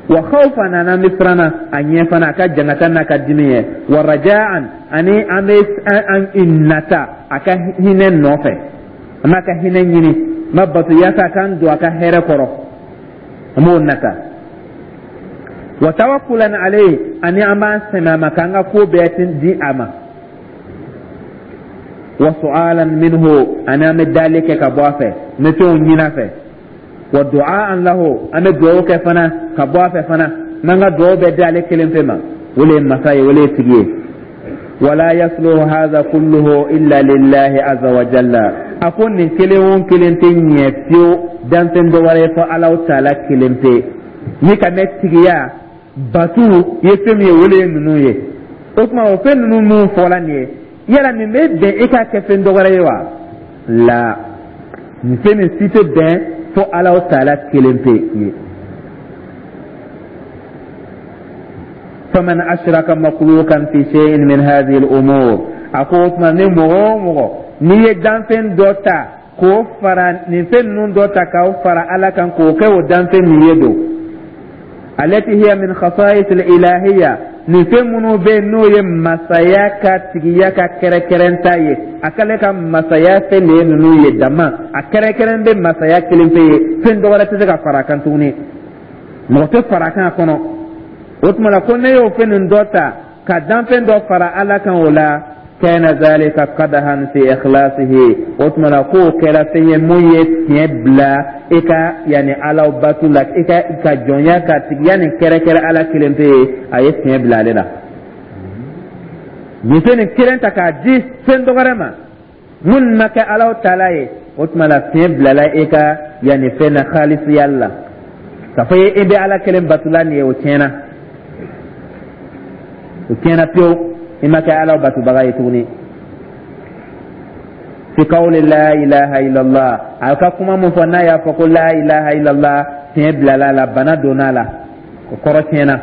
Wa khawfan, an bɛ siran a ɲɛ fana, a ka jangata n'a ka dimi ye. Wa raja'an, ani an bɛ an nata a ka hinɛ nɔfɛ, an b'a ka hinɛ ɲini, n b'a bato yaasa a k'an don a ka hɛrɛ kɔrɔ, an b'o nata. Wa tawakkulan alayhi, ani an b'an sɛmɛ a ma k'an ka ko bɛɛ di a ma. Wa su'alan minhu, ani an bɛ dali kɛ ka bɔ a fɛ, n bɛ fɛnw ɲini a fɛ. Wa du'aan lahu, an bɛ dugawu kɛ fana ka bɔ a fɛ fana, n b'an ka dugawu bɛɛ di ale kelen pe ma, o le ye masa ye, o le ye tigi ye. Wala yasluhu hadha kulluhu illa lillahi azza wa jalla. A ko nin kelen o kelen tɛ ɲɛ fiyewu danfɛn dɔ wɛrɛ ye fɔ Alahu taala kelen pe. Ni ka mɛn tigiya batu ye fɛn min ye, o le ye ninnu ye. O tuma, o fɛn ninnu minnu fɔla nin ye, yala nin bɛ bɛn e k'a kɛ fɛn dɔ wɛrɛ ye wa? La, nin fɛn nin si tɛ bɛn fo Alahu taala kelen pe ye. Faman ashraka makhluqan fi shay'in min hadhihi al-umur, a ko o tuma, ni mɔgɔ o mɔgɔ n'i ye danfɛn dɔ ta k'o fara nin fɛn ninnu dɔ ta k'o fara Ala kan k'o kɛ o danfɛn min ye don, alati hiya min khasa'is al-ilahiyya, nin fɛn minnu bɛ yen n'o ye masaya ka tigiya ka kɛrɛkɛrɛnta ye, a k'ale ka masaya fɛn de ye ninnu ye dama, a kɛrɛkɛrɛn bɛ masaya kelen pe ye, fɛn dɔ wɛrɛ tɛ se ka fara a kan tuguni, mɔgɔ tɛ fara a kan a kɔnɔ. O tuma la, ko ne y'o fɛn nin dɔ ta ka danfɛn dɔ fara Ala kan, o la, kana zalika qadahan fi ikhlasihi, o tuma la k'o kɛra fɛn ye mun ye tiɲɛ bila i ka yanni Ala batu la, i ka ka jɔnya ka tigiya nin kɛrɛkɛrɛ Ala kelen pe ye, a ye tiɲɛ bila ale la. Nin fɛn nin kelen ta k'a di fɛn dɔ wɛrɛ ma mun ma kɛ Ala taala ye, o tuma la fiɲɛ bilala e ka yanni fɛn na khalisiya la, k'a fɔ e bɛ Ala kelen batula nin ye, o tiɲɛna, o tiɲɛna pewu, i ma kɛ Ala batubaga ye tuguni. Fi qawli la ilaha illallah, a ka kuma mun fɔ n'a y'a fɔ ko la ilaha illallah, tiɲɛ bilala a la, bana donna a la, o kɔrɔ tiɲɛna,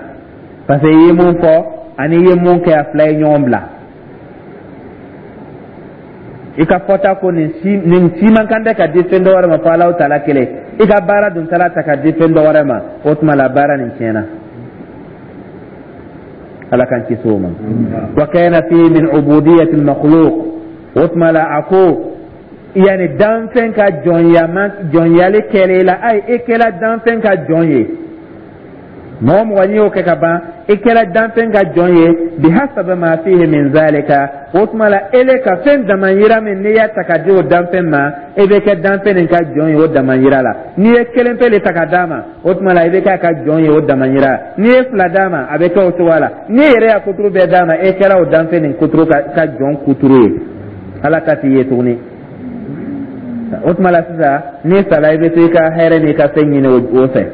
parce que i ye mun fɔ ani i ye mun kɛ, a fila ye ɲɔgɔn bila. I ka fɔta ko nin si nin si man kan tɛ ka di fɛn dɔ wɛrɛ ma fo Alahu taala kelen, i ka baara dun taara ta ka di fɛn dɔ wɛrɛ ma, o tuma la baara nin tiɲɛna. Ala k'an kisi o ma. Wa kana fi min ubudiyati al-makhluq, o tuma la a ko yani danfɛn ka jɔnyama jɔnyali kɛlen la, ayi, e kɛla danfɛn ka jɔn ye. Mɔgɔ mɔgɔ n'i y'o kɛ ka ban, i kɛra danfɛn ka jɔn ye. Bihasabi ma fihi min zalika, o tuma la ele ka fɛn damayira min n'i y'a ta ka di o danfɛn ma, e bɛ kɛ danfɛn nin ka jɔn ye o damayira la. N'i ye kelen pe de ta ka d'a ma, o tuma la i bɛ kɛ a ka jɔn ye o damayira. N'i ye fila d'a ma, a bɛ kɛ o cogoya la. N'i yɛrɛ y'a kuturu bɛɛ d'a ma, e kɛra o danfɛn nin kuturu ka ka jɔn kuturu ye, Ala ka t'i ye tuguni. O tuma la sisan, n'i sala, i bɛ to i ka hɛrɛ n'i ka fɛn ɲini o fɛ.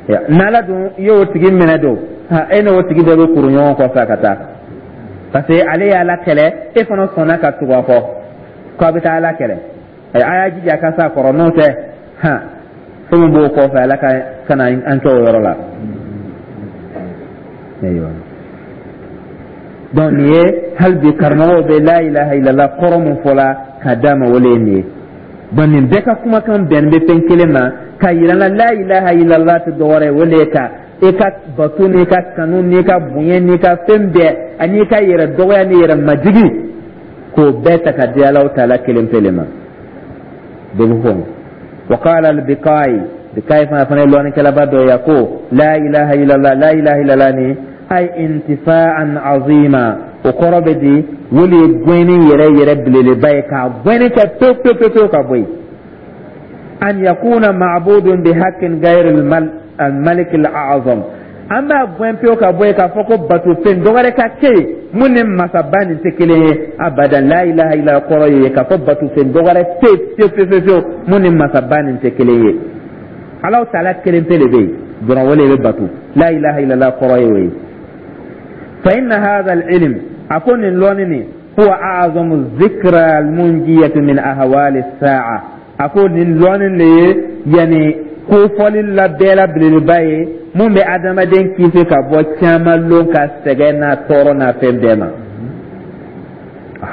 N'Ala dun y'o tigi minɛ don, e n'o tigi bɛɛ bɛ kuru ɲɔgɔn kɔfɛ ka taa, parce que ale y'Ala kɛlɛ, e fana sɔnna ka tugu a kɔ k'a bɛ taa Ala kɛlɛ. A y'a jija ka s'a kɔrɔ, n'o tɛ han, fɛn min b'o kɔfɛ, Ala ka kana an kɛ o yɔrɔ la. Ayiwa, donc nin ye hali bi karamɔgɔw bɛ la ilaha illallah kɔrɔ mun fɔla ka d'a ma, o le ye nin ye. Donc nin bɛɛ ka kumakan bɛnnen bɛ fɛn kelen ma ka yira la, la ilaha illallah tɛ dɔwɛrɛ ye, o le ye ka i ka bato n'i ka kanu n'i ka bonya n'i ka fɛn bɛɛ ani i ka yɛrɛ dɔgɔya ni yɛrɛ majigi, k'o bɛɛ ta ka di Alahu taala kelen pe le ma. Bɛɛ bɛ fɔ. Wa qala al-Biqai, Biqai fana fana ye lɔnnikɛlaba dɔ ye, ko la ilaha illallah, la ilaha illallah ni ay intifa'an azima, o kɔrɔ bɛ di, o de ye gɛnni yɛrɛ yɛrɛ belebeleba ye, k'a gɛnni kɛ pewu pewu pewu pewu ka bɔ yen. An yakuna ma'budun bi haqqin ghayr al-malik al-a'zam, an b'a gɛn pewu ka bɔ yen k'a fɔ ko batofɛn dɔ wɛrɛ ka kɛ yen mun ni masaba nin tɛ kelen ye abadan. La ilaha illa kɔrɔ ye k'a fɔ batofɛn dɔ wɛrɛ tɛ yen pewu pewu pewu mun ni masaba nin tɛ kelen ye. Alahu taala kelen pe de bɛ yen dɔrɔn, o de bɛ bato. La ilaha illallah kɔrɔ ye o ye. Fa inna hadha al-ilm, a ko nin lɔnni nin, huwa a'zamu zikra al-munjiyati min ahwali as-sa'a, a ko nin lɔnni de ye yanni Kofɔli la bɛɛ la belebeleba ye mun bɛ adamaden kisi ka bɔ caman lon ka sɛgɛn n'a tɔɔrɔ n'a fɛn bɛɛ ma.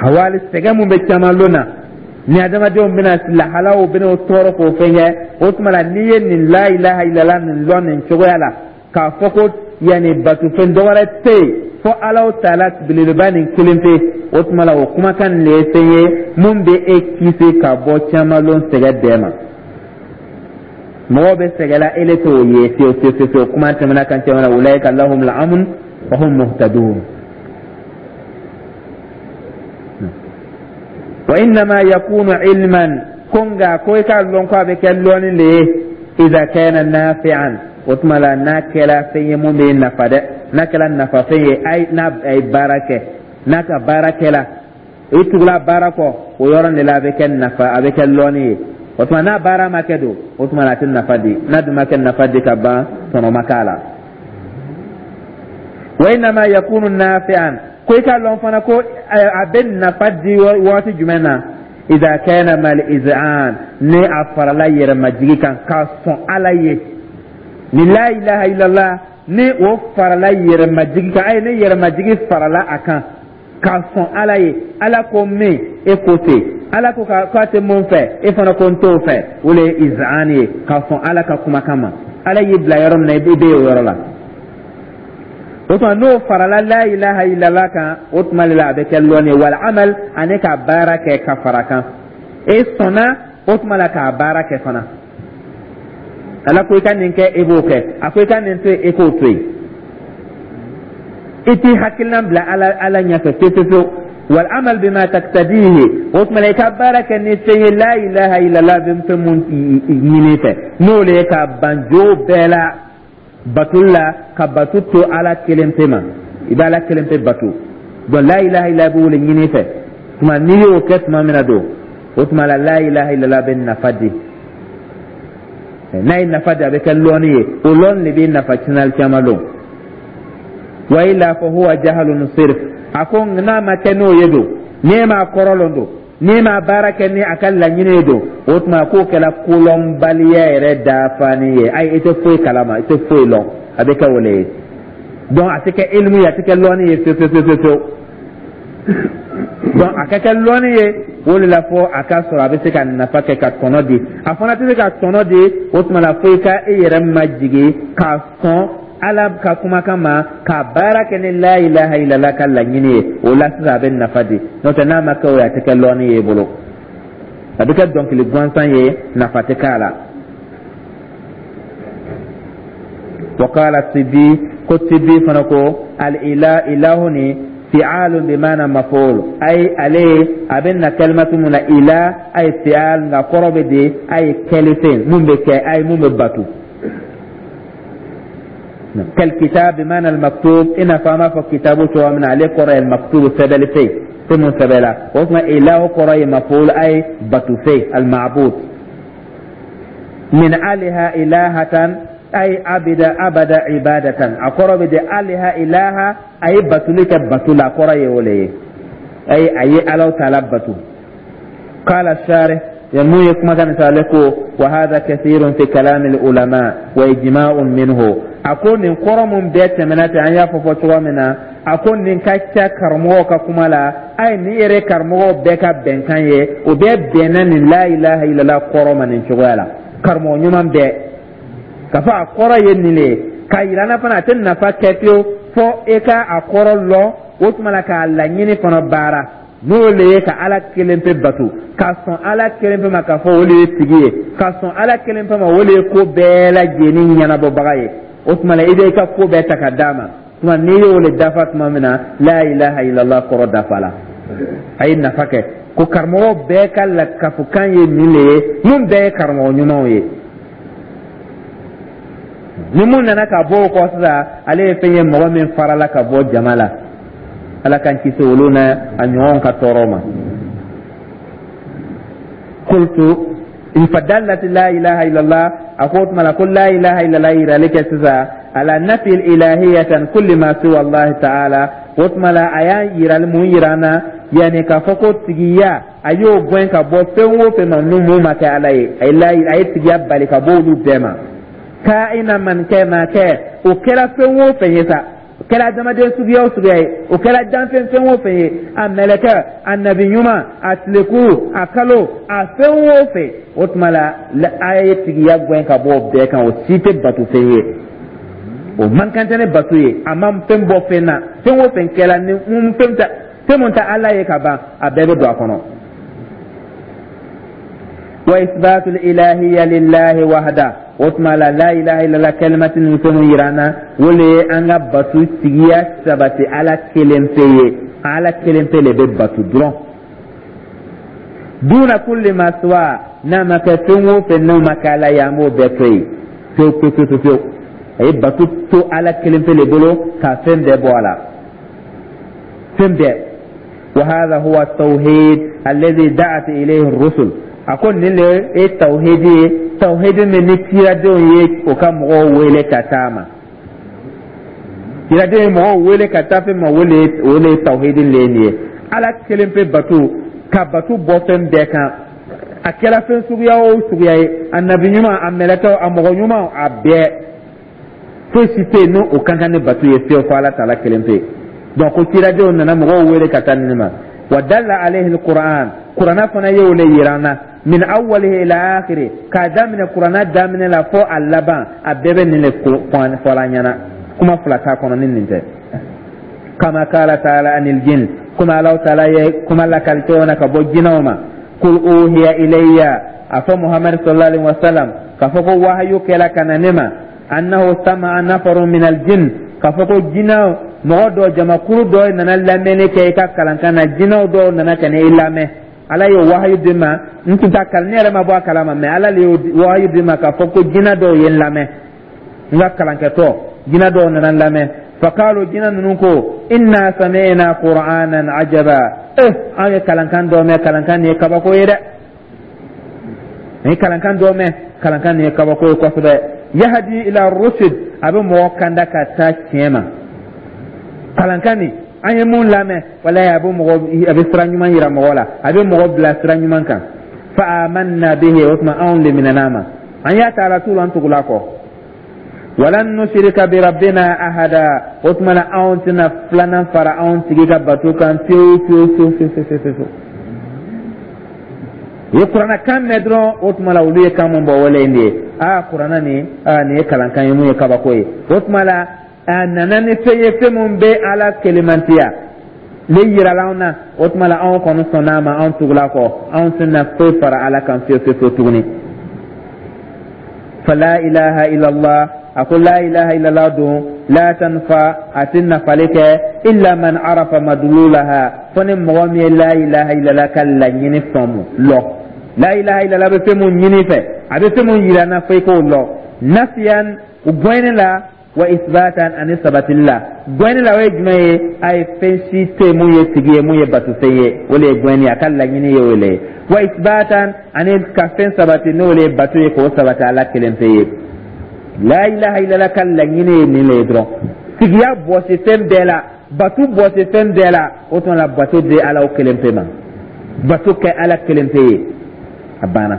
Hawali, sɛgɛn mun bɛ caman lon na, ni adamadenw bɛna lahalaw bɛna o tɔɔrɔ k'o fɛn kɛ, o tuma la n'i ye nin la ilaha illallah nin lɔn nin cogoya la, k'a fɔ ko yanni batofɛn dɔwɛrɛ tɛ yen fɔ Alahu Taala belebeleba nin kelen pe, o tuma la o kumakan nin de ye fɛn ye mun bɛ e kisi ka bɔ caman lon sɛgɛn bɛɛ ma. Mɔgɔw bɛ sɛgɛn la, ele t'o ye fiyewu fiyewu fiyewu. Kuma tɛmɛna kan tɛmɛna, ulaika lahum al-amn wa hum muhtadun. Wa innama yakunu ilman, ko nka ko i k'a lɔn ko a bɛ kɛ lɔnni le ye, idha kana nafi'an, o tuma la n'a kɛra fɛn ye mun bɛ nafa dɛ, n'a kɛra nafafɛn ye, ayi, n'a ye baara kɛ, n'a ka baara kɛla, i tugula baara kɔ, o yɔrɔ de la a bɛ kɛ nafa, a bɛ kɛ lɔnni ye. O tuma n'a baara ma kɛ don, o tuma la a tɛ nafa di. N'a dun ma kɛ nafa di ka ban, tɔnɔ ma k'a la. Wa innama yakunu nafi'an, ko i k'a lɔn fana ko a bɛ nafa di waati jumɛn na? Idha kana mal iz'an, ni a farala yɛrɛmajigi kan k'a sɔn Ala ye. Ni la ilaha illallah, ni o farala yɛrɛmajigi kan, ayi, ni yɛrɛmajigi farala a kan k'a sɔn Ala ye, Ala ko min, e ko ten, Ala ko k'a tɛ mun fɛ, e fana ko n t'o fɛ, o le ye iz'an ye, k'a sɔn Ala ka kumakan ma. Ala y'i bila yɔrɔ min na, i bɛ o yɔrɔ la. O tuma n'o farala la ilaha illallah kan, o tuma de la a bɛ kɛ lɔnni ye. Wal amal, ani ka baara kɛ ka fara kan. E sɔnna, o tuma la k'a baara kɛ fana. Ala ko i ka nin kɛ, e b'o kɛ. A ko i ka nin to yen, e k'o to yen. I t'i hakilina bila ala ala ɲɛfɛ fewu fewu fewu. Wal amal bima taktadihi, o tuma la i ka baara kɛ ni fɛn ye la ilaha illallah bɛ fɛn mun ɲini fɛ, n'o le ye ka ban jo bɛɛ la bato la, ka bato to Ala kelen pe ma. I bɛ Ala kelen pe bato. Donc la ilaha illallah b'o le ɲini fɛ. Tuma n'i y'o kɛ tuma min na don, o tuma la la ilaha illallah bɛ nafa di. N'a ye nafa di, a bɛ kɛ lɔnni ye. O lɔnni de bɛ nafa sinali caman lon. Wa illa fa huwa jahalun sirf. A ko n'a ma kɛ n'o ye don, n'e m'a kɔrɔ lɔn don, n'e m'a baara kɛ ni a ka laɲini ye don, o tuma k'o kɛra kolɔnbaliya yɛrɛ dafani ye. Ayi, i tɛ foyi kalama, i tɛ foyi lɔn, a bɛ kɛ o le ye. Donc a tɛ kɛ ilimu ye, a tɛ kɛ lɔnni ye fewu fewu fewu fewu. Donc a ka kɛ lɔnni ye, o de la fo a ka sɔrɔ a bɛ se ka nafa kɛ, ka tɔnɔ di. A fana tɛ se ka tɔnɔ di, o tuma la fo i ka e yɛrɛ majigin k'a sɔn Ala ka kumakan ma, ka baara kɛ ni la ilaha illallah ka laɲini ye. O la sisan a bɛ nafa di. N'o tɛ, n'a ma kɛ o ye, a tɛ kɛ lɔnni ye i bolo, a bɛ kɛ dɔnkili gansan ye, nafa tɛ k'a la. Wa qala Tibi, ko Tibi fana ko al ila ilahu ni fi'alun bi maana maf'ul, ay ale a bɛ na kalimatu mun na ila, ay fi'al, nka kɔrɔ bɛ di, ay kɛlifɛn mun bɛ kɛ, ay mun bɛ batu. Kal kitab bi maana al maktub, ina fama fɔ kitabu cogoya min na, ale kɔrɔ ye maktub, sɛbɛnni fɛn, fɛn mun sɛbɛnna. O tuma ilahu kɔrɔ ye maf'ul, ay batu fɛn, al ma'bud min aliha ilahatan, ay abida abada ibadatan. A kɔrɔ bɛ di aliha ilaha, a ye batuli kɛ batu la, a kɔrɔ ye o le ye, ay a ye Alaw Taala batu. Qala sharih, mun ye kumakan nin sɔrɔ, ale ko wa hadha kathirun fi kalami al-ulama wa ijma'un minhu. A ko nin kɔrɔ mun bɛɛ tɛmɛna ten, an y'a fɔ fɔ cogoya min na, a ko nin ka ca karamɔgɔw ka kuma la. A ye nin yɛrɛ karamɔgɔw bɛɛ ka bɛnkan ye, o bɛɛ bɛnna nin la ilaha illallah kɔrɔ ma nin cogoya la. Karamɔgɔ ɲuman bɛɛ k'a fɔ a kɔrɔ ye nin de ye, k'a yira n na fana a tɛ nafa kɛ fiyewu fɔ e ka a kɔrɔ lɔn, o tuma la k'a laɲini fana baara, n'o le ye ka Ala kelen pe bato, ka sɔn Ala kelen pe ma, k'a fɔ o le ye tigi ye, ka sɔn Ala kelen pe ma, o le ye ko bɛɛ lajɛlen ɲɛnabɔbaga ye. O tuma la i bɛ i ka ko bɛɛ ta ka d'a ma. Tuma n'i y'o le dafa tuma min na, la ilaha illallah kɔrɔ dafa la, a ye nafa kɛ. Ko karamɔgɔ bɛɛ ka lakafokan ye nin le ye, mun bɛɛ ye karamɔgɔ ɲumanw ye. Ni mun nana ka bɔ o kɔ sisan, ale ye fɛn ye mɔgɔ min farala ka bɔ jama la. Ala k'an kisi olu na a ɲɔgɔn ka tɔɔrɔ ma. Qultu fadallat la ilaha illallah, a ko o tuma la ko la ilaha illallah yirali kɛ sisan ala nafi ilahiyatan kulli ma siwa Allah ta'ala. O tuma la a y'a yirali mun yira an na? Yani k'a fɔ ko tigiya, a y'o gɛn ka bɔ fɛn o fɛn ma ni mun ma kɛ Ala ye. A ye la a ye tigiya bali ka bɔ olu bɛɛ ma. Kaina man kɛ ma kɛ, o kɛra fɛn o fɛn ye sa, o kɛra adamaden suguya o suguya ye, o kɛra danfɛn fɛn o fɛn ye, a mɛlɛkɛ, a nabi ɲuman, a tilekuru, a kalo, a fɛn o fɛn, o tuma la a ye tigiya gɛn ka bɔ o bɛɛ kan. O si tɛ bato fɛn ye, o man kan tɛ ne bato ye. A ma fɛn bɔ fɛn na, fɛn o fɛn kɛla ni mun fɛn tɛ, fɛn mun tɛ Ala ye ka ban, a bɛɛ bɛ don a kɔnɔ. Wa isbatul ilahiyya lillahi wahda. O tuma la, la ilaha illallah kalimati ni fɛn mun yira an na, o le ye an ka batu tigiya sabati Ala kelen pe ye. Ala kelen pe le bɛ batu dɔrɔn, duna kulli ma siwa, n'a ma kɛ fɛn o fɛn n'o ma kɛ Ala ye, an b'o bɛɛ to yen pewu pewu pewu pewu. A ye batu to Ala kelen pe le bolo ka fɛn bɛɛ bɔ a la, fɛn bɛɛ. Wa hadha huwa tawhid alladhi da'at ilayhi ar-rusul. A ko nin le ye tawhidi ye, tawhidi min ni kiradenw ye o ka mɔgɔw wele ka taa ma. Kiradenw ye mɔgɔw wele ka taa fɛn ma, o le o le ye tawhidi le ye nin ye: Ala kelen pe batu, ka batu bɔ fɛn bɛɛ kan, a kɛra fɛn suguya o suguya ye, a nabi ɲuman, a mɛlɛkɛw, a mɔgɔ ɲuman, a bɛɛ, foyi si tɛ yen n'o ka kan ni batu ye fiyewu fo Ala taala kelen pe. Donc ko kiradenw nana mɔgɔw wele ka taa nin ma. Wa dalla alayhi alquran, Kurana fana ye o le yira an na, min awwalihi ila akhiri, k'a daminɛ Kurana daminɛ la fo a laban, a bɛɛ bɛ nin le fɔla an ɲɛna. Kuma fila t'a kɔnɔ ni nin tɛ. Kama qala taala anil jin, kuma Alaw taala ye kuma lakali cogo na ka bɔ jinɛw ma: kul uhiya ilayya, a fɔ Muhammad sallallahu alaihi wasallam k'a fɔ ko wahayu kɛla ka na ne ma, annahu sama'a nafarun min aljin, k'a fɔ ko jinɛw mɔgɔ dɔ, jamakuru dɔ nana lamɛnni kɛ i ka kalankan na. Jinɛw dɔw nana ka na i lamɛn. Ala ye wahayu di ma, n tun t'a kalan, ne yɛrɛ ma bɔ a kalama, mɛ Ala le ye wahayu di ma k'a fɔ ko jinɛ dɔw ye n lamɛn n ka kalankɛtɔ. Jinɛ dɔw nana n lamɛn. Fakalu, jinɛ ninnu ko: inna sami'na qur'anan ajaba. Eh, an ye kalankan dɔ mɛn, kalankan nin ye kabako ye dɛ. An ye kalankan dɔ mɛn, kalankan nin ye kabako ye kosɛbɛ. Yahdi ila rushd, a bɛ mɔgɔ kanda ka taa tiɲɛ ma. Kalankan nin an ye mun lamɛn, walayi, a bɛ mɔgɔ, a bɛ sira ɲuman yira mɔgɔ la, a bɛ mɔgɔ bila sira ɲuman kan. Fa amanna bihi, o tuma anw leminana ma, an y'a ta ala tu an tugula kɔ. Walan nushrika bi rabbina ahada, o tuma na anw tɛna filanan fara anw tigi ka bato kan fiyewu fiyewu fiyewu fiyewu fiyewu fiyewu. U ye Kuranna kan mɛn dɔrɔn, o tuma la olu ye kan mun bɔ, wale nin ye: aa, Kuranna nin, aa, nin ye kalankan ye mun ye kabako ye. O tuma la a nana ni fɛn ye, fɛn mun bɛ Ala kelemantiya le yirala anw na. O tuma la anw kɔni sɔnna a ma, anw tugula kɔ, anw tɛna foyi fara Ala kan fiyewu fiyewu fiyewu tuguni. Fala ilaha illallah, a ko la ilaha illallah dun, la tanfa, a tɛ nafali kɛ, illa man arafa madlulaha, fo ni mɔgɔ min ye la ilaha illallah ka laɲini faamu lɔ. La ilaha illallah bɛ fɛn mun ɲini fɛ, a bɛ fɛn mun yira na, fo i k'o lɔ. Nafiyan, u gɔɲɛni la, wa isbatan, ani sabatili la. Gɔɲɛni la, o ye jumɛn ye? A ye fɛn si tɛ yen mun ye tigi ye, mun ye batofɛn ye, o de ye gɔɲɛni ye, a ka laɲini ye o le ye. Wa isbatan, ani ka fɛn sabati, n'o de ye bato ye, k'o sabati Ala kelen pe ye. La ilaha illallah ka laɲini ye nin le ye dɔrɔn: tigiya bɔsi fɛn bɛɛ la, batu bɔsi fɛn bɛɛ la. O tuma la bato di Ala o kelen pe ma, bato kɛ Ala kelen pe ye, a banna.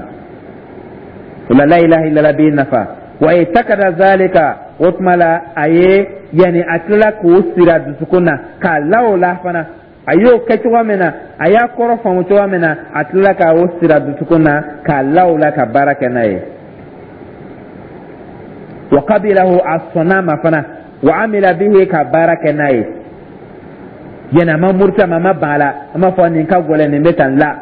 O la, la ilaha illallah b'i nafa. Wa itakada zalika, o tuma la a ye yanni a tilala k'o siri a dusukun na k'a la o la fana, a y'o kɛ cogo min na, a y'a kɔrɔ faamu cogo min na, a tilala k'o siri a dusukun na k'a la o la ka baara kɛ n'a ye. Wa qabilahu, a sɔnna ma fana, wa amila bihi, ka baara kɛ n'a ye. Yani a ma muruti a ma, a ma ban a la, a ma fɔ nin ka gɛlɛn, nin bɛ tan la.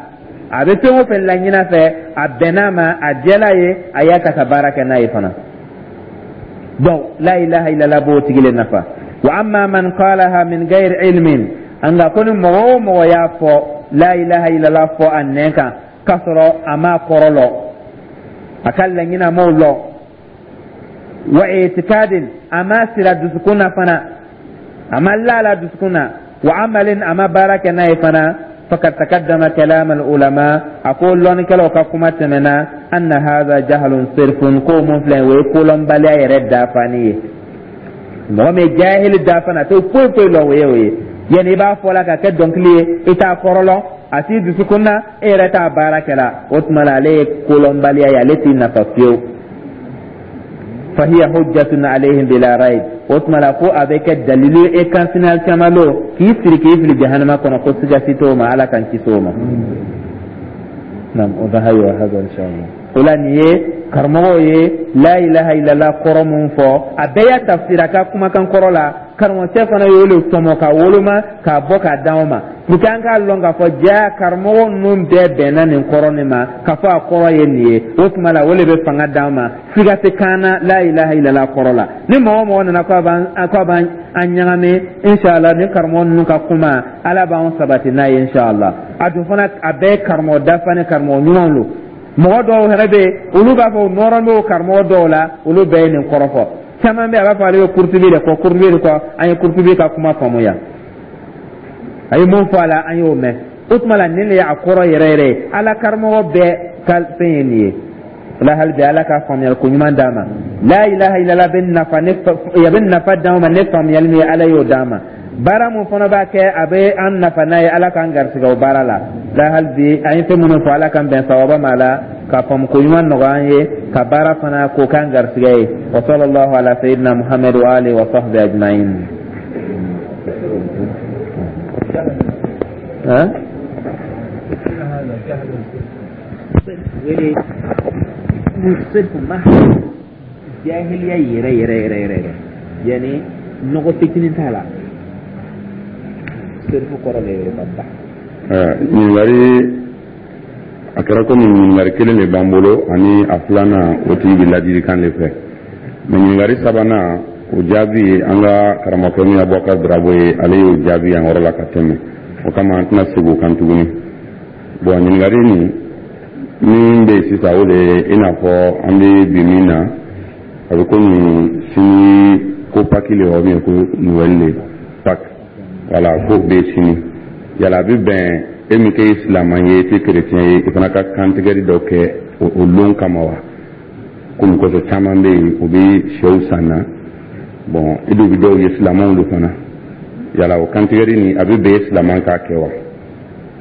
A bɛ fɛn o fɛn laɲini fɛ, a bɛnn'a ma, a jɛla ye, a y'a ta ka baara kɛ n'a ye fana. Donc la ilaha illallah b'o tigi le nafa. Wa amma man qalaha min ghairi ilmin, nka ko ni mɔgɔ o mɔgɔ y'a fɔ, la ilaha illallah fɔ a nɛn kan k'a sɔrɔ a m'a kɔrɔ lɔ, a ka laɲini a m'o lɔ, wa itikadin, a ma sira dusukun na fana, a ma la la dusukun na, wa amalin, a ma baara kɛ n'a ye fana, fakad takaddama kalam al ulama, a ko lɔnnikɛlaw ka kuma tɛmɛna, anna hadha jahlun sirfun, ko mun filɛ, o ye kolɔnbaliya yɛrɛ dafani ye. Mɔgɔ min ye jahili dafani, a tɛ foyi foyi lɔn, o ye o ye. Yani i b'a fɔ la ka kɛ dɔnkili ye, i t'a kɔrɔ lɔn, a t'i dusukun na, e yɛrɛ t'a baara kɛ la, o tuma la ale ye kolɔnbaliya ye, ale t'i nafa fiyewu. Fahiya hujjatun alayhim bila rayb. O tuma la, ko a bɛ kɛ dalilu e kan sini alikiyama lon k'i siri k'i fili jahanama kɔnɔ, ko siga si t'o ma. Ala k'an kisi o ma. Nam, o da hayo hada inshallah. O la, nin ye karamɔgɔw ye la ilaha illallah kɔrɔ mun fɔ, a bɛɛ y'a tafsira ka kumakan kɔrɔ la. Karamɔgɔcɛ fana y'o le tɔmɔ ka woloma k'a bɔ k'a d'anw ma pour que an k'a lɔn k'a fɔ ja karamɔgɔ ninnu bɛɛ bɛnna nin kɔrɔ nin ma, k'a fɔ a kɔrɔ ye nin ye. O tuma la, o de bɛ fanga d'an ma, siga tɛ kan na la ilaha illallah kɔrɔ la. Ni mɔgɔ o mɔgɔ nana k'a b'an k'a b'an an ɲagami, inshallah, ni karamɔgɔ ninnu ka kuma, Ala b'an sabati n'a ye, inshallah. A dun fana, a bɛɛ ye karamɔgɔ dafa ni karamɔgɔ ɲumanw don. Mɔgɔ dɔw yɛrɛ bɛ yen, olu b'a fɔ u nɔrɔ bɛ o karamɔgɔ dɔw la, olu bɛɛ ye nin kɔrɔ fɔ. Caman bɛ yen, a b'a fɔ ale bɛ Kurutubi de kɔ, Kurutubi de kɔ. An ye Kurutubi ka kuma faamuya, a ye mun fɔ a la, an y'o mɛn. O tuma la, nin de ye a kɔrɔ yɛrɛ yɛrɛ ye. Ala karamɔgɔ bɛɛ ka fɛn ye nin ye. O la, hali bi, Ala ka faamuyali ko ɲuman d'an ma. La ilaha illallah bɛ nafa ne, a bɛ nafa d'an ma ne faamuyali min ye, Ala y'o d'an ma. Baara mun fana b'a kɛ, a bɛ an nafa n'a ye, Ala k'an garisɛgɛ o baara la. La hali bi, an ye fɛn minnu fɔ, Ala k'an bɛn sawaba ma la, ka faamu ko ɲuman nɔgɔya an ye, ka baara fana k'o k'an garisɛgɛ ye. Wa sallallahu ala sayyidina Muhammad wa alihi wa sahbihi ajma'in. Ha, wele sirfu ma jahiliya yɛrɛ yɛrɛ yɛrɛ yɛrɛ yɛrɛ, yani nɔgɔ fitinin t'a la, sirifu kɔrɔ de ye ka ban. Ɲininkali, a kɛra komi ɲininkali kelen de b'an bolo ani a filanan, o tigi bɛ ladilikan de fɛ. Mɛ ɲininkali sabanan, o jaabi, an ka karamɔgɔkɛ min ye Abubakar Darabo ye, ale y'o jaabi yan yɔrɔ la ka tɛmɛ. O kama, an tɛna segin o kan tuguni. Bɔn, ɲininkali nin min bɛ yen sisan, o de ye i n'a fɔ an bɛ bi min na, a bɛ komi sini ko Pâques le wa, ou bien ko Noël le, Pâques, wala ko bɛ sini. Yala a bɛ bɛn e min kɛ silamɛ ye, i tɛ chrétien ye, i fana ka kantigɛli dɔ kɛ o lon kama wa? Komi kɔsɔ caman bɛ yen, o bɛ sɛw san na. Bɔn, i dun bɛ dɔw ye, silamɛw don fana. Yala o kantigɛli nin, a bɛ bɛn e silamɛ k'a kɛ wa?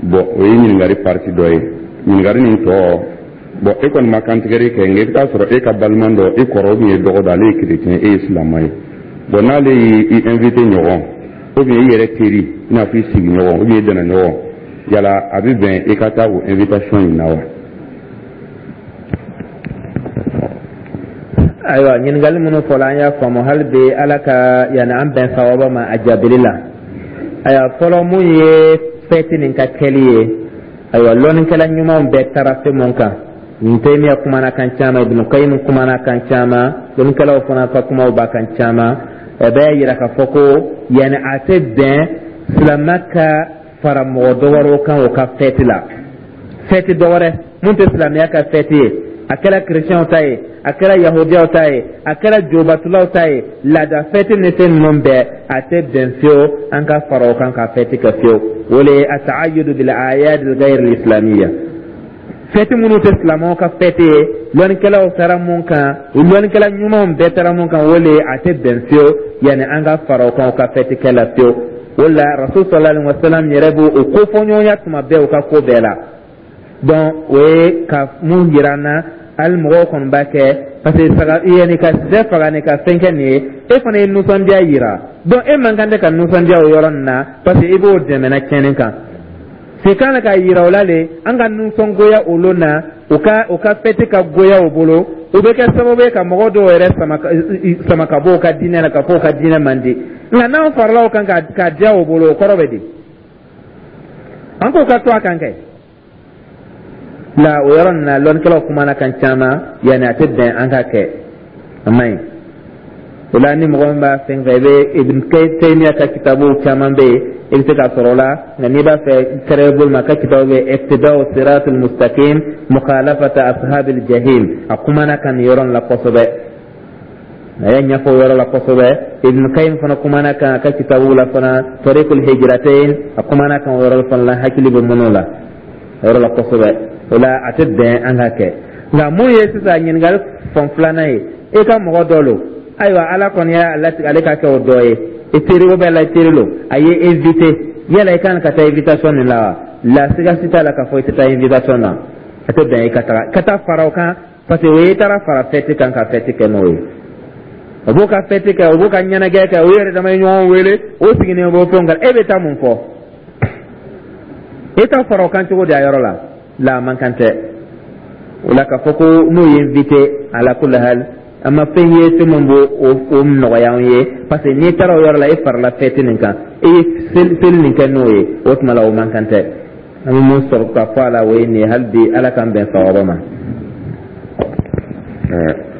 Bɔn, o ye ɲininkali partie dɔ ye. Ɲininkali nin tɔ, bɔn, e kɔni ma kantigɛli kɛ, nka i bɛ taa sɔrɔ e ka balima dɔ, e kɔrɔ ou bien e dɔgɔ dɔ, ale ye chrétien, e ye silamɛ ye. Bɔn, n'ale y'i invité ɲɔgɔn, ou bien i yɛrɛ teri, i n'a fɔ i sigiɲɔgɔn ou bien i dɛnɛɲɔgɔn, yala a bɛ bɛn i ka taa o invitation in na wa? Ayiwa, ɲininkali minnu fɔla, an y'a faamu. Hali bi, Ala ka yanni an bɛn sawaba ma a jaabili la. Ayiwa, fɔlɔ, mun ye fɛti nin ka kɛli ye? Ayiwa, lɔnnikɛla ɲumanw bɛɛ taara fɛn mun kan, Ibn Taymiya kumana kan caman, Ibn Qayyim kumana kan caman, lɔnnikɛlaw fana ka kumaw b'a kan caman. A bɛ yira k'a fɔ ko yanni a tɛ bɛn silamɛ ka fara mɔgɔ dɔ wɛrɛw kan o ka fɛti la, fɛti dɔ wɛrɛ mun tɛ silamɛya ka fɛti ye. A kɛra kerecɛnw ta ye, a kɛra yahudiyaw ta ye, a kɛra jobatulaw ta ye, laada fɛti ni fɛn ninnu bɛɛ, a tɛ bɛn fiyewu an ka fara o kan ka fɛti kɛ fiyewu. O le ye ata'ayyudu bil a'yad al ghayr al islamiyya, fɛti minnu tɛ silamɛw ka fɛti ye. Lɔnnikɛlaw taara mun kan, lɔnnikɛla ɲumanw bɛɛ taara mun kan, o le ye a tɛ bɛn fiyewu yanni an ka fara o kan o ka fɛti kɛ la fiyewu. O la, Rasul sallallahu alaihi wa sallam yɛrɛ b'o o kofɔɲɔgɔnya tuma bɛɛ o ka ko bɛɛ la. Donc o ye ka mun yira an na, hali mɔgɔw kɔni b'a kɛ parce que saga yanni ka sɛ faga ni ka fɛn kɛ nin ye, e fana ye nisɔndiya yira. Donc e man kan tɛ ka nisɔndiya o yɔrɔ nin na, parce que i b'o dɛmɛna tiɲɛni kan. Se kan ka yira o la le, an ka nisɔngoya olu na, u ka u ka fɛti ka goya o bolo, o bɛ kɛ sababu ye ka mɔgɔ dɔw yɛrɛ sama sama ka bɔ u ka diinɛ la, ka fɔ u ka diinɛ man di. Nka n'an farala o kan ka ka diya o bolo, o kɔrɔ bɛ di? An k'o ka to a kan kɛ la. O yɔrɔ nin na, lɔnnikɛlaw kumana kan caman, yanni a tɛ bɛn an ka kɛ, a man ɲi. O la, ni mɔgɔ min b'a fɛn fɛ, i bɛ Ibn Taymiya ka kitabu caman bɛ yen, i bɛ se k'a sɔrɔ o la. Nka n'i b'a fɛ kɛrɛ bolo ma, a ka kitabu bɛ Iqtida'u siratul mustaqim mukhalafata ashabil jahim, a kumana kan nin yɔrɔ nin la kosɛbɛ, a y'a ɲɛfɔ o yɔrɔ la kosɛbɛ. Ibn Qayyim fana kumana kan a ka kitabu la fana, Tariqul Hijratain, a kumana kan o yɔrɔ fana la, hakili bɛ minnu la o yɔrɔ la kosɛbɛ. O la, a tɛ bɛn an ka kɛ. Nka mun ye sisan ɲininkali fan filanan ye, e ka mɔgɔ dɔ lo, ayiwa, Ala kɔni y'a latigɛ ale ka kɛ o dɔ ye, i teri o bɛɛ la, i teri lo, a ye invité, yala i kan ka taa invitation nin la wa? La, siga si t'a la k'a fɔ i tɛ taa invitation na. A tɛ bɛn i ka taga ka taa fara o kan, parce que o ye i taara fara fɛti kan ka fɛti kɛ n'o ye. O b'o ka fɛti kɛ, o b'o ka ɲɛnajɛ kɛ, o yɛrɛ dama ye ɲɔgɔn wele, o sigilen b'o fɛnw kan. E bɛ taa mun fɔ? E ta fara o kan cogo di a yɔrɔ la? La, a man kan tɛ o la k'a fɔ ko n'o ye invité. Ala kulli hal, an ma fɛn ye fɛn min b'o o nɔgɔya an ye, parce que n'i taara o yɔrɔ la, e farala fɛti nin kan, e ye seli nin kɛ n'o ye, o tuma la o man kan tɛ. An bɛ mun sɔrɔ ka fɔ a la, o ye nin ye. Hali bi, Ala k'an bɛn sawaba ma.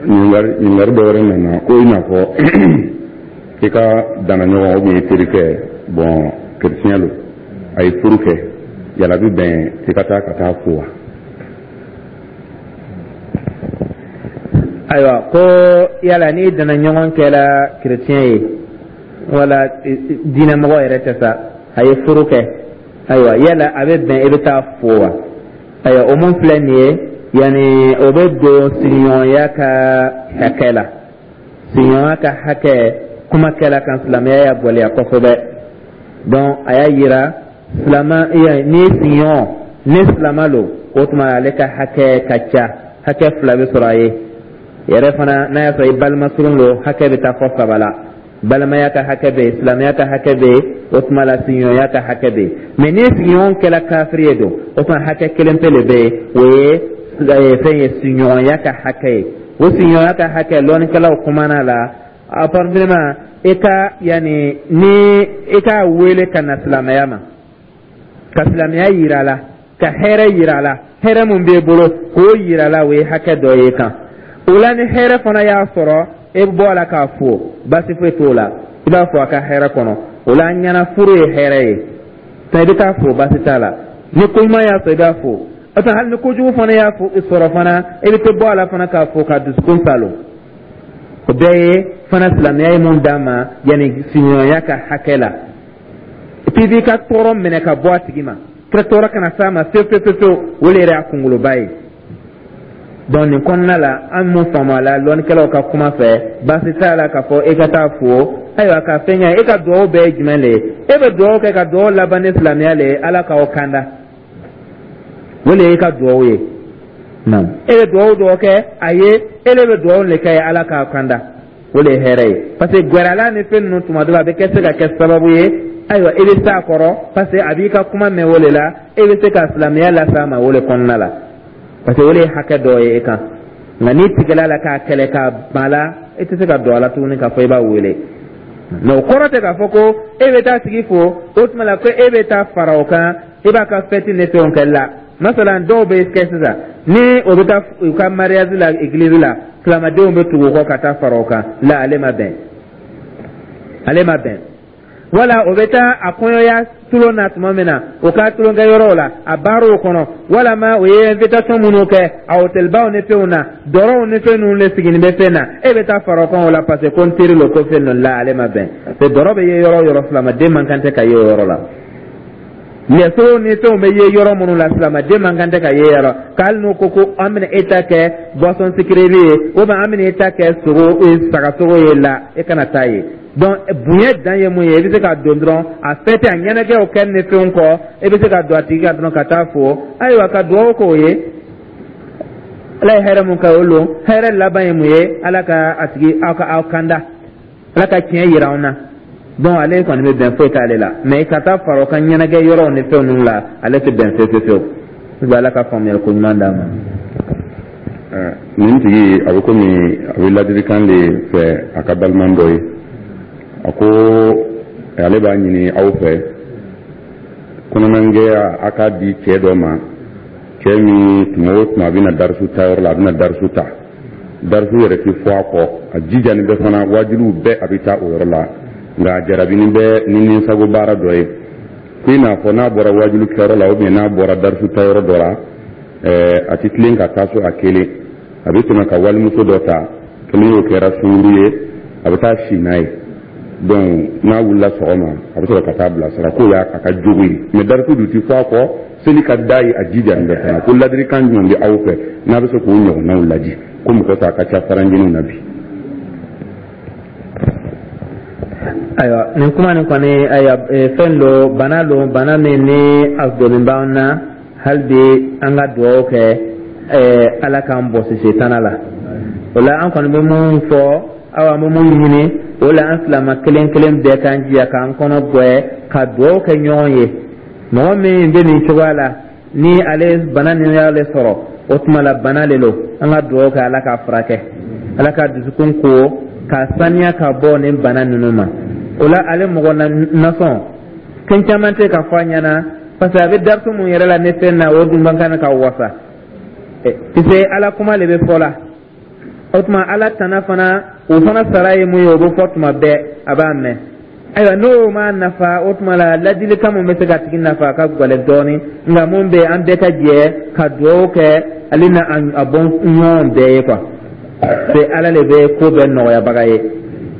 Ɲininkali dɔ wɛrɛ nana ko i n'a fɔ i ka dannaɲɔgɔn ou bien i terikɛ, bon, chrétien lo, a ye furu kɛ, yala bi bɛn i ka taa ka taa fo wa? Ayiwa, ko yala n'i danna ɲɔgɔn kɛra chrétien ye wala diinɛmɔgɔ yɛrɛ tɛ sa, a ye furu kɛ, ayiwa, yala a bɛ bɛn i bɛ taa fo wa? Ayiwa, o mun filɛ nin ye, yanni o bɛ don sigiɲɔgɔnya ka hakɛ la. Sigiɲɔgɔnya ka hakɛ kuma kɛla kan, silamɛya y'a gɛlɛya kosɛbɛ. Donc a y'a yira silama ni sigiɲɔgɔn ni silama lo, o tuma ale ka hakɛ ka ca, hakɛ fila bɛ sɔrɔ a ye yɛrɛ fana. N'a y'a sɔrɔ i balima surun lo, hakɛ bɛ taa fɔ saba la: balimaya ka hakɛ bɛ yen, silamɛya ka hakɛ bɛ yen, o tuma la sigiɲɔgɔnya ka hakɛ bɛ yen. Mais ni sigiɲɔgɔn kɛra kafiri ye don, o tuma hakɛ kelen pe de bɛ yen, o ye fɛn ye, sigiɲɔgɔnya ka hakɛ ye. O sigiɲɔgɔnya ka hakɛ, lɔnnikɛlaw kumana la apparemment i ka yanni ni i k'a wele ka na silamɛya ma, ka silamɛya yira a la, ka hɛrɛ yira a la, hɛrɛ mun b'e bolo k'o yira a la, o ye hakɛ dɔ ye kan o la. Ni hɛrɛ fana y'a sɔrɔ, e bɛ bɔ a la k'a fo, baasi foyi t'o la, i b'a fɔ a ka hɛrɛ kɔnɔ. O la an ɲɛna furu ye hɛrɛ ye, i bɛ taa fo, baasi t'a la. Ni ko ɲuman y'a sɔrɔ, i b'a fo. O tɛ, hali ni kojugu fana y'a sɔrɔ fana, i bɛ te bɔ a la fana k'a fo ka dusukun salo. O bɛɛ ye fana silamɛya ye mun d'an ma yanni sigiɲɔgɔnya ka hakɛ la. K'i b'i ka tɔɔrɔ minɛ ka bɔ a tigi ma, kira tɔɔrɔ kana s'a ma fewu fewu fewu, o de yɛrɛ y'a kunkoloba ye. Donc nin kɔnɔna la, an mun faamu a la lɔnnikɛlaw ka kuma fɛ, baasi t'a la k'a fɔ e ka taa fo. Ayiwa, ka fɛn kɛ, e ka dugawu bɛɛ ye jumɛn le ye? E bɛ dugawu kɛ ka dugawu laban ni silamɛya le ye, Ala k'aw kanda, o le ye e ka dugawu ye. E bɛ dugawu dɔw kɛ a ye, e le bɛ dugawu le kɛ ye, Ala k'aw kanda, o le ye hɛrɛ ye. Parce que gwɛrɛla ni fɛn ninnu, tuma dɔ la a bɛ kɛ se ka kɛ sababu ye, ayiwa, i bɛ s'a kɔrɔ, parce que a b'i ka kuma mɛn, o le la e bɛ se ka silamɛya las'a ma o le kɔnɔna la, parce que o de ye hakɛ dɔ ye e kan. Nka n'i tigɛla la k'a kɛlɛ k'a ban la, e tɛ se ka don a la tuguni k'a fɔ i b'a wele. Mais o kɔrɔ tɛ k'a fɔ ko e bɛ taa tigi fo, o tuma la ko e bɛ taa fara o kan, i b'a ka fɛti ni fɛnw kɛ la. Masalan, dɔw bɛ kɛ sisan ni o bɛ taa u ka mariage la église la, silamadenw bɛ tugu o kɔ ka taa fara o kan la. Ale ma bɛn, ale ma bɛn. Wala o bɛ taa a kɔɲɔya tulon na tuma min na, o ka tulonkɛ yɔrɔw la, a baaraw kɔnɔ, walama o ye invitation minnu kɛ a hôtelbaw ni fɛnw na, dɔrɔw ni fɛn ninnu de sigilen bɛ fɛn na, e bɛ taa fara o kan o la, parce que ko n teri lo, ko fɛn ninnu la, ale ma bɛn. Parce que dɔrɔ bɛ ye yɔrɔ o yɔrɔ, silamaden man kan tɛ ka ye o yɔrɔ la. Lɛsow ni fɛnw bɛ ye yɔrɔ minnu la, silamaden man kan tɛ ka ye yɔrɔ k'ale n'o ko ko an bɛna e ta kɛ boisson sucrée ye ou bien an bɛna e ta kɛ sogo sagasogo ye la, e kana taa ye. Donc bonya dan ye mun ye? I bɛ se ka don dɔrɔn a fɛtɛ, a ɲɛnajɛw kɛ ni fɛnw kɔ, i bɛ se ka don a tigi kan dɔrɔn ka taa fo, ayiwa, ka dugawu k'o ye. Ala ye hɛrɛ mun kɛ o lon, hɛrɛ laban ye mun ye? Ala ka a tigi aw ka aw kanda, Ala ka tiɲɛ yira anw na. Donc ale kɔni bɛ bɛn, foyi t'ale la. Mais ka taa fara o kan ɲɛnajɛ yɔrɔw ni fɛn ninnu la, ale tɛ bɛn fewu fewu fewu. Ala ka faamuyali ko ɲuman d'an ma. Nin tigi a bɛ komi a bɛ ladilikan de fɛ a ka balima dɔ ye. A ko ale b'a ɲini aw fɛ, kɔnɔnangɛya a k'a di cɛ dɔ ma, cɛ min tuma o tuma a bɛna darisu ta yɔrɔ la, a bɛna darisu ta, darisu yɛrɛ tɛ fɔ a kɔ, a jijani bɛ fana, wajuliw bɛɛ a bɛ taa o yɔrɔ la, nka a jarabini bɛ ni ninsago baara dɔ ye, ko i n'a fɔ n'a bɔra wajulu kɛyɔrɔ la ou bien n'a bɔra darisu ta yɔrɔ dɔ la, ɛɛ a tɛ tilen ka taa so a kelen, a bɛ tɛmɛ ka walimuso dɔ ta, kelen y'o kɛra sunkuru ye, a bɛ taa si n'a ye. Donc n'a wulila sɔgɔma, a bɛ sɔrɔ ka taa bilasira, k'o y'a ka jogo ye. Mais darisu dun ti fɔ a kɔ, seli ka d'a ye, a jijani bɛ fana. Ko ladilikan jumɛn bɛ aw fɛ n'a bɛ se k'o ɲɔgɔnnaw ladi, ko mɔgɔ ta ka ca faranjiniw na bi? Ayiwa, nin kuma nin kɔni, ayiwa, fɛn do, bana don, bana min ni a donnen b'an na. Hali bi an ka dugawu kɛ, Ala k'an bɔsi setana la. O la an kɔni bɛ mun fɔ Awa, an bɛ mun ɲini o la, an silama kelen kelen bɛɛ k'an jija k'an kɔnɔ gbɛ ka dugawu kɛ ɲɔgɔn ye. Mɔgɔ min bɛ nin cogoya la, ni ale bana nin y'ale sɔrɔ, o tuma la bana le lo. An ka dugawu kɛ Ala k'a furakɛ, Ala ka dusukun ko k'a saniya ka bɔ nin bana ninnu ma. O la, ale mɔgɔ nasɔn fɛn caman tɛ ka fɔ a ɲɛna, parce que a bɛ darisu mun yɛrɛ la ne fɛn na, o dun man kan ka wasa, puisque Ala kuma le bɛ fɔ la. O tuma Ala tana fana, o fana sara ye mun ye, o bɛ fɔ tuma bɛɛ, a b'a mɛn. Ayiwa, n'o ma nafa, o tuma la ladilikan mun bɛ se ka tigi nafa, a ka gɛlɛn dɔɔnin. Nka mun bɛ yen, an bɛɛ ka jɛ ka dugawu kɛ ale na a bɔ ɲɔgɔn bɛɛ ye quoi, c'est Ala le bɛ ko bɛɛ nɔgɔyabaga ye.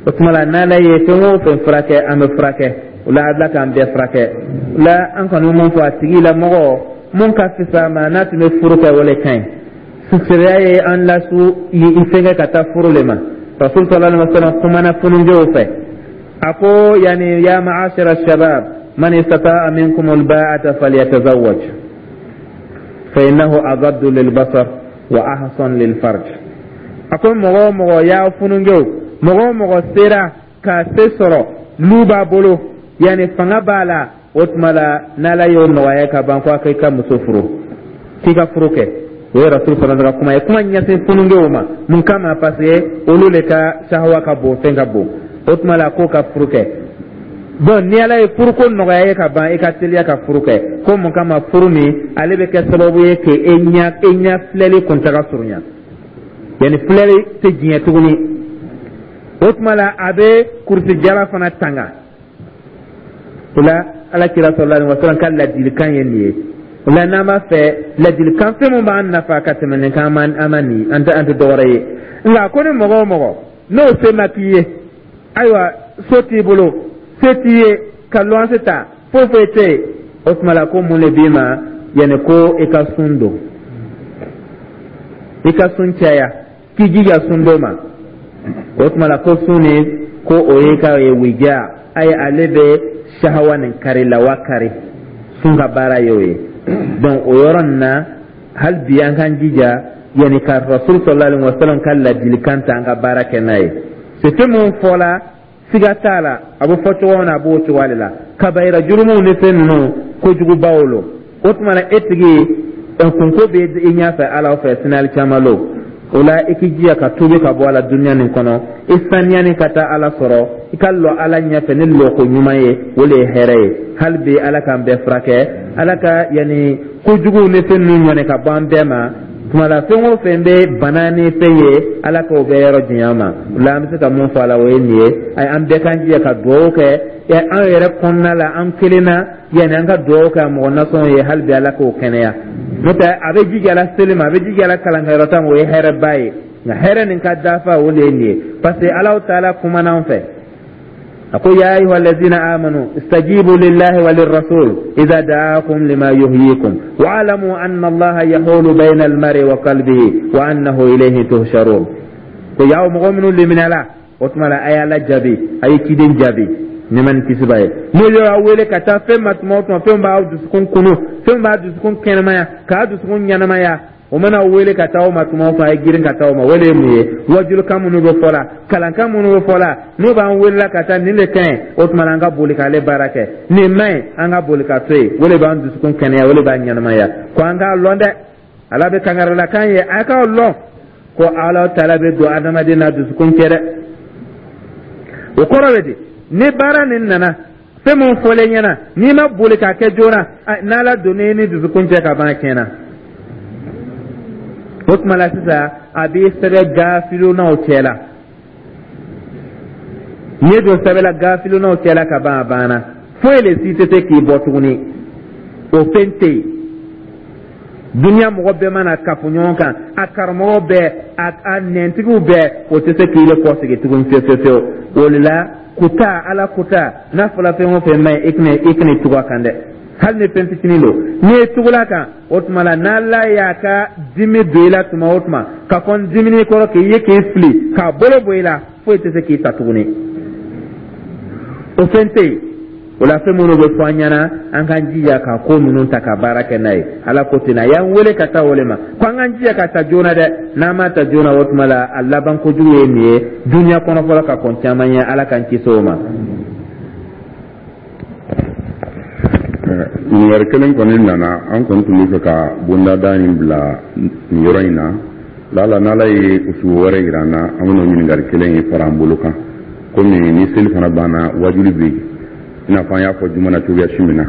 O tuma la, n'Ala ye fɛn o fɛn furakɛ, an bɛ furakɛ. O la, Ala k'an bɛɛ furakɛ. O la, an kɔni bɛ mun fɔ a tigi la, mɔgɔ mun ka fisa ma, n'a tun bɛ furu kɛ, o le ka ɲi. Sariya ye an lasu i fɛnkɛ ka taa furu le ma. Rasul sallallahu alaihi wasallam kumana fununjew fɛ, a ko yani: ya ma'ashara shabab, man istata'a minkum alba'ata falyatazawwaj, fa innahu aghaddu lilbasar wa ahsan lilfarj. A ko mɔgɔ o mɔgɔ y'a fununjew, mɔgɔ o mɔgɔ sera ka se sɔrɔ, lu b'a bolo, yani fanga b'a la, o tuma la n'Ala y'o nɔgɔya ka ban, ko a k'i ka muso furu, k'i ka furu kɛ. O ye Rasul fana ka kuma ye, kuma ɲɛsin funungew ma. Mun kama? Parce que olu le ka sahawa ka bon, fɛn ka bon. O tuma la, k'o ka furu kɛ. Bon, ni Ala ye furuko nɔgɔya ye ka ban, i ka teliya ka furu kɛ. Ko mun kama? Furu nin, ale bɛ kɛ sababu ye k'e ɲɛ e ɲɛ filɛli kuntaga surunya, yanni filɛli tɛ diɲɛ tuguni. O tuma la, a bɛ kurusi jala fana tanga. O la, Ala kira sallallahu alaihi wasallam ka ladilikan ye nin ye. O la, n'an b'a fɛ ladilikan fɛn min b'an nafa ka tɛmɛ nin kan, an ma nin, an tɛ an tɛ dɔwɛrɛ ye. Nka ko ni mɔgɔ o mɔgɔ n'o se ma k'i ye, ayiwa, so t'i bolo, se t'i ye ka luwanse ta, foyi foyi tɛ yen, o tuma la, ko mun de b'i ma? Yanni ko i ka sun don, i ka sun caya, k'i jija sun don ma. O tuma la, ko sun nin, ko o ye ka ye wija ayi, ale bɛ sahawa nin kari, lawa kari. Sun ka baara ye o ye. Donc o yɔrɔ nin na, hali bi an k'an jija yanni ka Rasul sallallahu alaihi wasallam ka ladilikan ta, an ka baara kɛ n'a ye. C'est fɛn mun fɔla, siga t'a la, a bɛ fɔ cogo min na, a b'o cogoya de la. Kabayira jurumuw ni fɛn ninnu, kojugubaw lo. O tuma na, e tigi kunko bɛ i ɲɛfɛ Ala fɛ sinali caman lo. O la, i k'i jija ka tuubi ka bɔ a la duniya nin kɔnɔ, i saniyani ka taa Ala sɔrɔ, i ka lɔ Ala ɲɛfɛ ni lɔko ɲuman ye, o de ye hɛrɛ ye. Hali bi, Ala k'an bɛɛ furakɛ, Ala ka yanni kojuguw ni fɛn ninnu ɲɔni ka bɔ an bɛɛ ma. Tuma la, fɛn o fɛn bɛ bana ni fɛn ye, Ala k'o bɛɛ yɔrɔ janya ma. O la, an bɛ se ka mun fɔ a la, o ye nin ye. Ayi, an bɛɛ k'an jija ka dugawu kɛ an yɛrɛ kɔnɔna la, an kelen na, yanni an ka dugawu kɛ mɔgɔ nasɔn ye. Hali bi, Ala k'o kɛnɛya. N'o tɛ, a bɛ jija la seli ma, a bɛ jija la kalankɛyɔrɔ ta ma, o ye hɛrɛba ye. Nka hɛrɛ nin ka dafa, o de ye nin ye, parce que Alahu taala kumana an fɛ, a ko: ya ayuha allazina amanu istajibu lillahi wa lirrasul idha da'akum lima yuhyikum wa'lamu anna Allaha yahulu bayna almar'i wa qalbihi wa annahu ilayhi tuhsharun. Ko yaw mɔgɔ minnu liminɛla, o tuma la, a y'Ala jaabi, a ye ciden jaabi, nɛɛma ni kisi b'a ye. N'o y'aw wele ka taa fɛn ma tuma o tuma, fɛn b'aw dusukun kunu, fɛn b'a dusukun kɛnɛmaya, k'a dusukun ɲɛnamaya, o mana wele ka taa o ma tuma o tuma, a ye girin ka taa o ma. O de ye mun ye? Wajulikan minnu bɛ fɔ la, kalankan minnu bɛ fɔ la, n'o b'an welela ka taa nin de ka ɲi, o tuma na, an ka boli k'ale baara kɛ. Nin man ɲi, an ka boli ka to yen. O de b'an dusukun kɛnɛya, o de b'an ɲɛnamaya. Ko an k'a lɔn dɛ, Ala bɛ kangaralakan ye, a k'a lɔn ko Ala taala bɛ don adamaden n'a dusukun cɛ dɛ. O kɔrɔ bɛ di? Ni baara nin nana, fɛn mun fɔlen ɲɛna, n'i ma boli k'a kɛ joona, n'Ala donna i ni dusukun cɛ ka ban, a tiɲɛna. O tuma la sisan, a b'i sɛbɛn gafilonaw cɛ la. N'i ye don sɛbɛn la gafilonaw cɛ la ka ban, a banna, foyi le si tɛ se k'i bɔ tuguni. O fɛn tɛ yen. Duniya mɔgɔ bɛɛ mana kafo ɲɔgɔn kan, a karamɔgɔ bɛɛ, a a nɛntigiw bɛɛ, o tɛ se k'i le kɔsegin tuguni fiyewu fiyewu fiyewu. O de la, kuta Ala kuta n'a fɔra, fɛn o fɛn man ɲi, i kana i kana tugu a kan dɛ, hali ni fɛn fitinin don. N'i ye tugula kan, o tuma la, n'Ala y'a ka dimi don i la tuma o tuma, ka kɔn dimini kɔrɔ k'i ye k'i fili k'a bolo bɔ i la, foyi tɛ se k'i ta tuguni. O fɛn tɛ yen. O la, fɛn minnu bɛ fɔ an ɲɛna, an k'an jija ka ko ninnu ta ka baara kɛ n'a ye. Ala ko ten, a y'an wele ka taa o le ma ko an k'an jija ka ta joona dɛ. N'an m'a ta joona, o tuma la, a laban kojugu ye nin ye duniya kɔnɔ fɔlɔ ka kɔn caman ɲɛ. Ala k'an kisi o ma. Ɲininkali kelen kɔni nana. An kɔni tun bɛ fɛ ka bondada in bila nin yɔrɔ in na. Lala n'Ala ye usubu wɛrɛ yira an na, an bɛna o ɲininkali kelen in fara an bolo kan, komi ni seli fana banna, wajuli bɛ yen, i n'a fɔ an y'a fɔ juma na cogoya si min na.